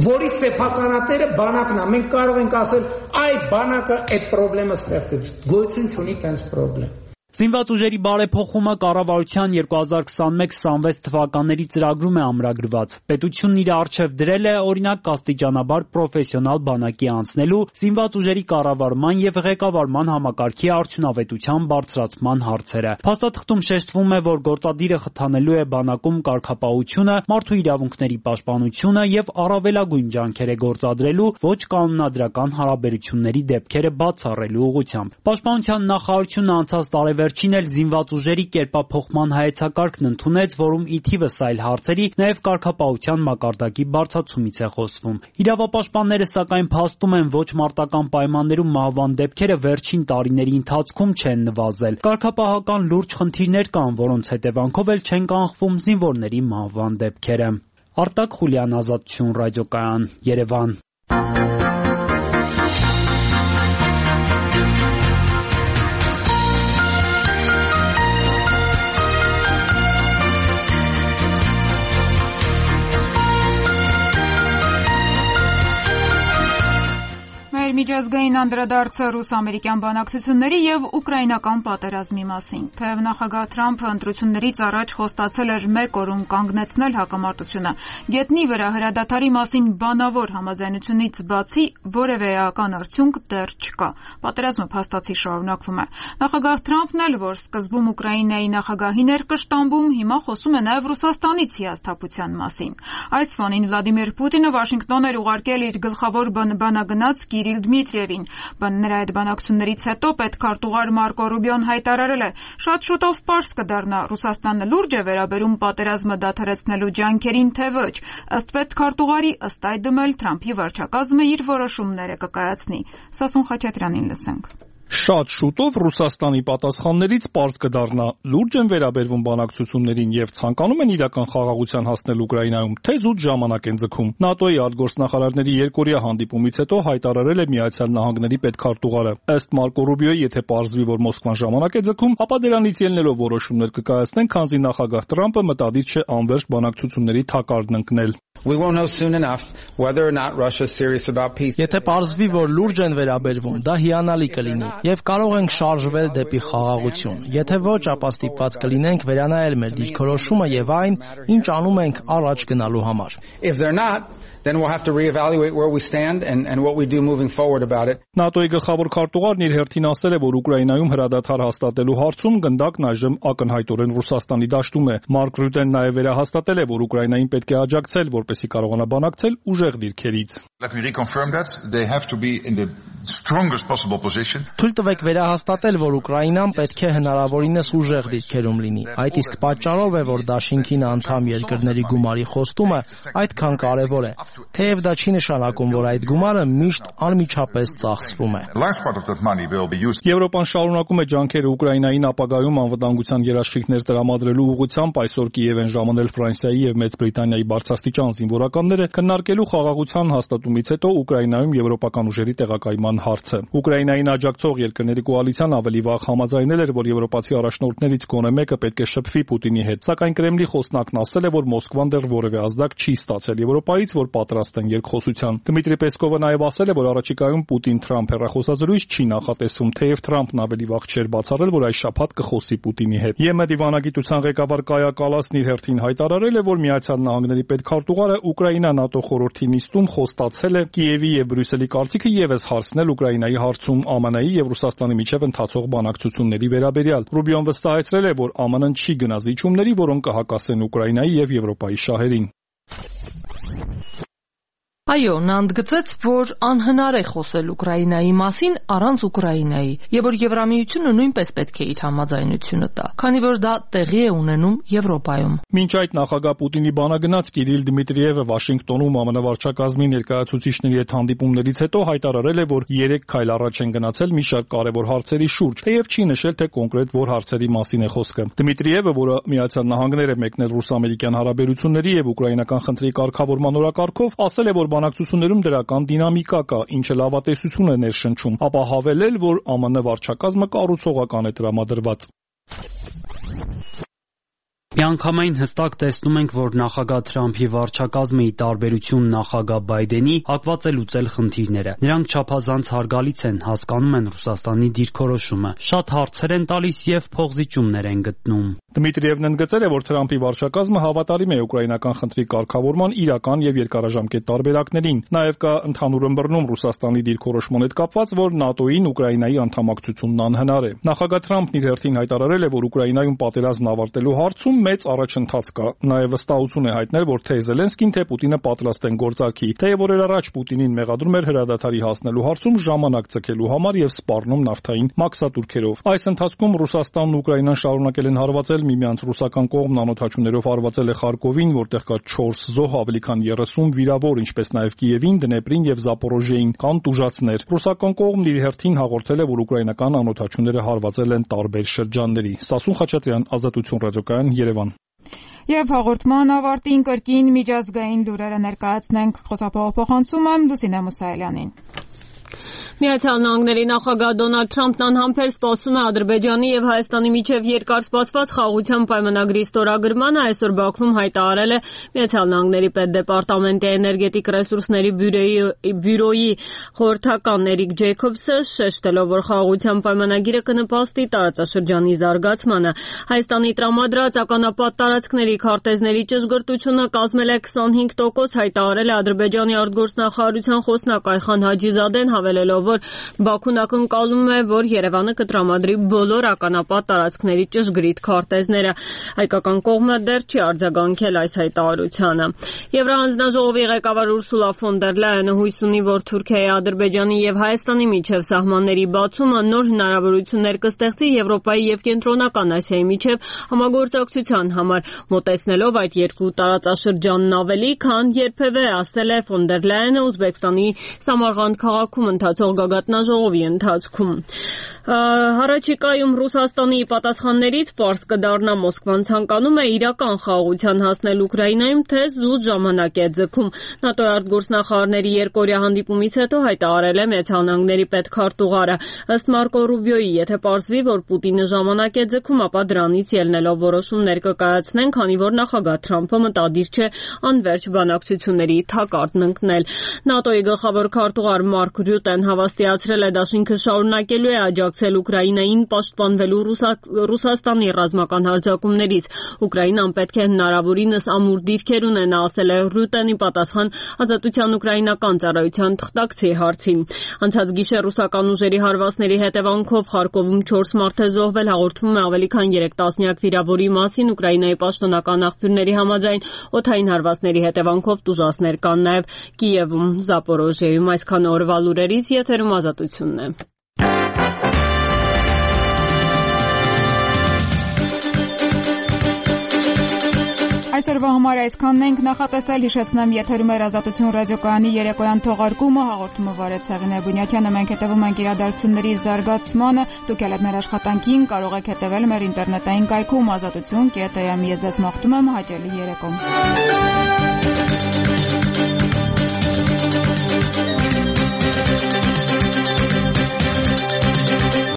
որի սեփականատերը բանակն է։ Մենք կարող ենք ասել, այ բանակը այդ խնդրեմը ստեղծեց։ Գոյություն չունի տենց խնդրեմ։ Զինված ուժերի բարեփոխումը կառավարության երկու հազար քսանմեկ քսանվեց թվականների ծրագրում է ամրագրված։ Պետությունն իր առջև դրել է օրինակ կաստիճանաբար պրոֆեսիոնալ բանակի անցնելու, զինված ուժերի կառավարման եւ ղեկավարման համակարգի արդյունավետության բարձրացման հարցերը։ Փաստաթղթում շեշտվում է, որ գործադիրը խթանելու է բանակում կարգապահությունը, մարդու իրավունքների պաշտպանությունը եւ առավելագույն ջանքեր է գործադրելու ոչ կանոնադրական հարաբերությունների դեպքերը բացառելու ուղղությամբ։ Պաշտպանության նախարարությունը անցած տարեվեր Վերջին էլ զինված ուժերի կերպափոխման հայեցակարգն ընդունեց, որում ի թիվս այլ հարցերի նաև կարգապահության մակարդակի բարձրացումից է խոսվում։ Իրավապաշտպանները սակայն փաստում են, ոչ մարտական պայմաններում մահվան դեպքերը վերջին տարիների ընթացքում չեն նվազել։ Կարգապահական լուրջ խնդիրներ կան, որոնց հետևանքով էլ չեն կանխվում զինվորների մահվան դեպքերը։ Արտակ Խուլյան, Ազատություն ռադիոկայան, Երևան։ Միջազգային անդրադարձը ռուս-ամերիկյան բանակցությունների եւ ուկրաինական պատերազմի մասին։ Թեև նախագահ Թրամփը ընտրություններից առաջ խոստացել էր մեկ օրում կանգնեցնել հակամարտությունը, գետնի վրա հրադադարի մասին բանավոր համաձայնությունից բացի որևէ էական արդյունք դեռ չկա։ Պատերազմը փաստացի շարունակվում է։ Նախագահ Թրամփն էլ, որ սկզբում Ուկրաինայի նախագահին էր կշտամբում, հիմա խոսում է նաեւ Ռուսաստանից հիասթափության մասին։ Այս ֆոնին Վլադիմիր Պուտինը Վաշինգտոն էր ուղարկել իր գլխավոր բանագնաց Կիրիլ Դմիտրիևին։ Նրա այդ բանակցություններից հետո պետքարտուղար Մարկո Ռուբիոն հայտարարել է. «Շատ շուտով պարզ կդառնա Ռուսաստանը լուրջ է վերաբերում պատերազմը դադարեցնելու ջանքերին, թե ոչ»։ Ըստ պետքարտուղարի, ըստ այդմ էլ Թրամփի վարչակազմը իր որոշումները կկայացնի։ Սասուն Խաչատրյանին լսենք։ Շատ շուտով Ռուսաստանի պատասխաններից պարզ կդառնա՝ լուրջ են վերաբերվում բանակցություններին եւ ցանկանում են իրական խաղաղության հասնել Ուկրաինայում, թե զուտ ժամանակ են ձգում։ ՆԱՏՕ-ի արտգործնախարարների երկօրյա հանդիպումից հետո հայտարարել է Միացյալ Նահանգների պետքարտուղարը։ Ըստ Մարկո Ռուբիոյի, եթե պարզվի, որ Մոսկվան ժամանակ է ձգում, ապա դրանից ելնելով որոշումներ կկայացնեն, քանզի նախագահ Տրամպը մտադիր չէ անվերջ բանակցությունների թակարդն ընկնել։ We won't know soon enough whether or not Russia is serious about peace. Եթե պարզվի, որ լուրջ են վերաբերվում, դա հիանալի կլինի եւ կարող ենք շարժվել դեպի խաղաղություն։ Եթե ոչ, ապա ստիպված կլինենք վերանայել մեր դիրքորոշումը եւ այն, ինչ անում ենք առաջ գնալու համար։ If they're not, then we'll have to reevaluate where we stand and and what we do moving forward about it. ՆԱՏՕ-ի գլխավոր քարտուղարն իր հերթին ասել է, որ Ուկրաինայում հրադադար հաստատելու հարցում գնդակն այժմ ակնհայտորեն Ռուսաստանի դաշտում է։ Մարկ Ռյուտեն նաև վերահաստատել է, որ Ուկրաինային պետք է աջակցել, որպեսզի կարողանա բանակցել ուժեղ դիրքերից։ Let me reconfirm that they have to be in the strongest possible position. Թույլ տվեք վերահաստատել, որ Ուկրաինան պետք է հնարավորինս ուժեղ դիրքերում լինի։ Այդ իսկ պատճառով է, որ դաշինքին անդամ երկրների գումարի խոստումը այդքան կարևոր է։ Թեև դա չի նշանակում, որ այդ գումարը միշտ անմիջապես ծախսվում է։ Եվրոպան շարունակում է ջանքերը Ուկրաինային ապագայում անվտանգության երաշխիքներ տրամադրելու ուղղությամբ, այսօր Կիև են ժամանել Ֆրանսիայի եւ Մեծ Բրիտանիայի բարձրաստիճան զինվորականները քննարկելու խաղաղության հաստատումից հետո Ուկրաինայում եվրոպական ուժերի տեղակայման հարցը։ Ուկրաինային աջակցող երկրների կոալիցիան ավելի վաղ համաձայնել էր, որ եվրոպացի առաջնորդներից գոնե մեկը պետք է շփվի Պուտինի հետ, սակայն Կրեմլի խոսնակն ասել է, որ Մոսկվան դեռ որևէ ազդակ չի ստացել Եվրոպայից, որ պատրաստ են երկխոսության։ Դմիտրի Պեսկովը նաև ասել է, որ առաջիկայում Պուտին-Թրամփ հեռախոսազրույց չի նախատեսվում, թեև Թրամփն ավելի վաղ չէր բացառել, որ այս շաբաթ կխոսի Պուտինի հետ։ ԵՄ դիվանագիտության ղեկավար Կայա Կալասն իր հերթին հայտարարել է, որ Միացյալ Նահանգների պետքարտուղարը Ուկրաինա-ՆԱՏՕ խորհրդի նիստում խոստացել է Կիևի եւ Բրյուսելի կարծիքը եւս հարցնել Ուկրաինայի հարցում ԱՄՆ-ի եւ Ռուսաստանի միջև ընթացող բանակցությունների վերաբերյալ։ Ռուբիոն վստահեցրել է, որ ԱՄՆ-ն չի գնա զիջումների, որոնք կհակասեն Ուկրաինայի եւ Եվրոպայի շահերին։ Այո, նա ընդգծեց, որ անհնար է խոսել Ուկրաինայի մասին առանց Ուկրաինայի, եւ որ Եվրամիությունը նույնպես պետք է իր համաձայնությունը տա, քանի որ դա տեղի է ունենում Եվրոպայում։ Մինչ այդ նախագահ Պուտինի բանագնաց Կիրիլ Դմիտրիևը Վաշինգտոնում ԱՄՆ վարչակազմի ներկայացուցիչների հետ հանդիպումներից հետո հայտարարել է, որ երեք քայլ առաջ են գնացել մի շարք կարևոր հարցերի շուրջ, թեև չի նշել, թե կոնկրետ որ հարցերի մասին է խոսքը։ Դմիտրիևը, որը Միացյալ Նահանգներ է մեկնել ռուս-ամերիկյան հարաբերությունների եւ ուկրաինական խնդրի կարգավորման օրակարգով, ասել է, որ բանակցություններում դրական դինամիկա կա, ինչը լավատեսություն է ներշնչում, ապա հավելել, որ ԱՄՆ վարչակազմը կառուցողական է տրամադրված։ Միանգամայն հստակ տեսնում ենք, որ նախագահ Թրամփի վարչակազմի տարբերություն նախագահ Բայդենի հակված է լուծել խնդիրները։ Նրանք չափազանց հարգալից են, հասկանում են Ռուսաստանի դիրքորոշումը, շատ հարցեր են տալիս եւ փոխզիջումներ են գտնում։ Դմիտրիևն ընդգծել է, որ Թրամփի վարչակազմը հավատարիմ է ուկրաինական խնդրի կարգավորման իրական եւ երկարաժամկետ տարբերակներին։ Նաեւ կա ընդհանուր ըմբռնում Ռուսաստանի դիրքորոշման հետ կապված, որ ՆԱՏՕ-ին Ուկրաինայի անդամակցությունն անհնար է։ Նախագահ Թրամփն իր հերթին հայտարարել է, որ Ուկրաինայում պատերազմն ավարտելու հարցում մեծ առաջընթաց կա։ Նաև վստահություն է հայտնել, որ թե Զելենսկին, թե Պուտինը պատրաստ են գործարքի, թեև օրեր առաջ Պուտինին մեղադրում էր հրադադարի հասնելու հարցում ժամանակ ցկելու համար եւ սպառնում նավթային մաքսատուրքերով։ Այս ընթացքում Ռուսաստանն ու Ուկրաինան շարունակել են հարվածել միմյանց։ Ռուսական կողմն անօթաչուներով հարվածել է Խարկովին, որտեղ կա չորս զոհ, ավելի քան երեսուն վիրավոր, ինչպես նաև Կիևին, Դնեպրին եւ Զապորոժիեին կան տուժածներ։ Ռուսական կողմն իր հերթին հաղորդել է, որ ուկրաինական անօթաչուները հարվածել են տարբեր շրջանների։ Սասուն Խաչատրյան, Ազատություն ռադիոկայան, Երևան։ Եվ հաղորդման ավարտին կրկին միջազգային լուրերը ներկայացնենք խոսափողով փոխանցում եմ Լուսինե Մուսայելյանին։ Միացյալ Նահանգների նախագահ Դոնալդ Թրամփն անհամբեր սպասում է Ադրբեջանի եւ Հայաստանի միջև երկար սպասված խաղաղության պայմանագրի ստորագրմանը։ Այսօր Բաքվում հայտարարել է Միացյալ Նահանգների պետդեպարտամենտի էներգետիկ ռեսուրսների բյուրոյի խորհրդական Էրիկ Ջեյքոբսը, շեշտելով, որ խաղաղության պայմանագիրը կնպաստի տարածաշրջանի զարգացմանը։ Հայաստանի տրամադրած ականապատ տարածքների քարտեզների ճշգրտությունը կազմել է քսանհինգ տոկոս, հայտարարել է Ադրբեջանի արտգործնախարարության խոսնակ Այխան Հաջիզադեն, հավելելով, որ Բաքուն ակնկալում է, որ Երևանը կտրամադրի բոլոր ականապատ տարածքների ճշգրիտ քարտեզները։ Հայկական կողմը դեռ չի արձագանքել այս հայտարարությանը։ Եվրահանձնաժողովի ղեկավար Ուրսուլա ֆոն դեր Լայենը հույս ունի, որ Թուրքիայի, Ադրբեջանի եւ Հայաստանի միջև սահմանների բացումը նոր հնարավորություններ կստեղծի Եվրոպայի եւ Կենտրոնական Ասիայի միջև համագործակցության համար, մոտեցնելով այդ երկու տարածաշրջանն ավելի, քան երբևէ, ասել է ֆոն դեր Լայենը Ուզբեկստանի Սամարղանդ քաղաքում ընթացող գագաթնաժողովի ընթացքում։ Հարաճիկայում Ռուսաստանի պատասխաններից պարզ կդառնա Մոսկվան ցանկանում է իրական խաղաղության հասնել Ուկրաինայում, թե զուտ ժամանակ է ձգում։ ՆԱՏՕ-ի արտգործնախարարների երկօրյա հանդիպումից հետո հայտարարել է Միացյալ Նահանգների պետքարտուղարը։ Ըստ Մարկո Ռուբիոյի, եթե պարզվի, որ Պուտինը ժամանակ է ձգում, ապա դրանից ելնելով որոշումներ կկայացնեն, քանի որ նախագահ Թրամփը մտադիր չէ անվերջ բանակցությունների թակարդն ընկնել։ ՆԱՏՕ-ի գլխավոր քարտուղար Մարկ Ռյուտեն հավաստիացրել է, դաշինքը շարունակելու է աջակցել Ուկրաինային պաշտպանվելու Ռուսաստանի ռազմական հարձակումներից։ Ուկրաինան պետք է հնարավորինս ամուր դիրքեր ունենա, ասել է Ռյուտենի պատասխան Ազատության ուկրաինական ծառայության թղթակցի հարցին։ Անցած գիշեր ռուսական ուժերի հարվածների հետևանքով Խարկովում չորս մարդ է զոհվել, հաղորդվում է ավելի քան երեք տասնյակ վիրավորի մասին։ Ուկրաինայի պաշտոնական աղբյուրների համաձայն օդային հարվածների հետևանքով տուժածներ կան նաև Կիևում, Զապորոժիայում։ Այսքան օրվա լուրերից եթերում Ազատությունն է։ Այսօրվա համար այսքանն ենք նախատեսել, հիշեցնեմ եթերում էր Ազատություն ռադիոկայանի երեկոյան թողարկումը, հաղորդումը վարեց Հեղինե Բունյակյանը, մենք հետևում ենք իրադարձությունների զարգացմանը, դուք ել եք մեր աշխատանքին, կարող եք հետևել մեր ինտերնետային կայքում ազատություն կետ էմ, ես ձեզ մաղթում եմ հաճելի երեկո։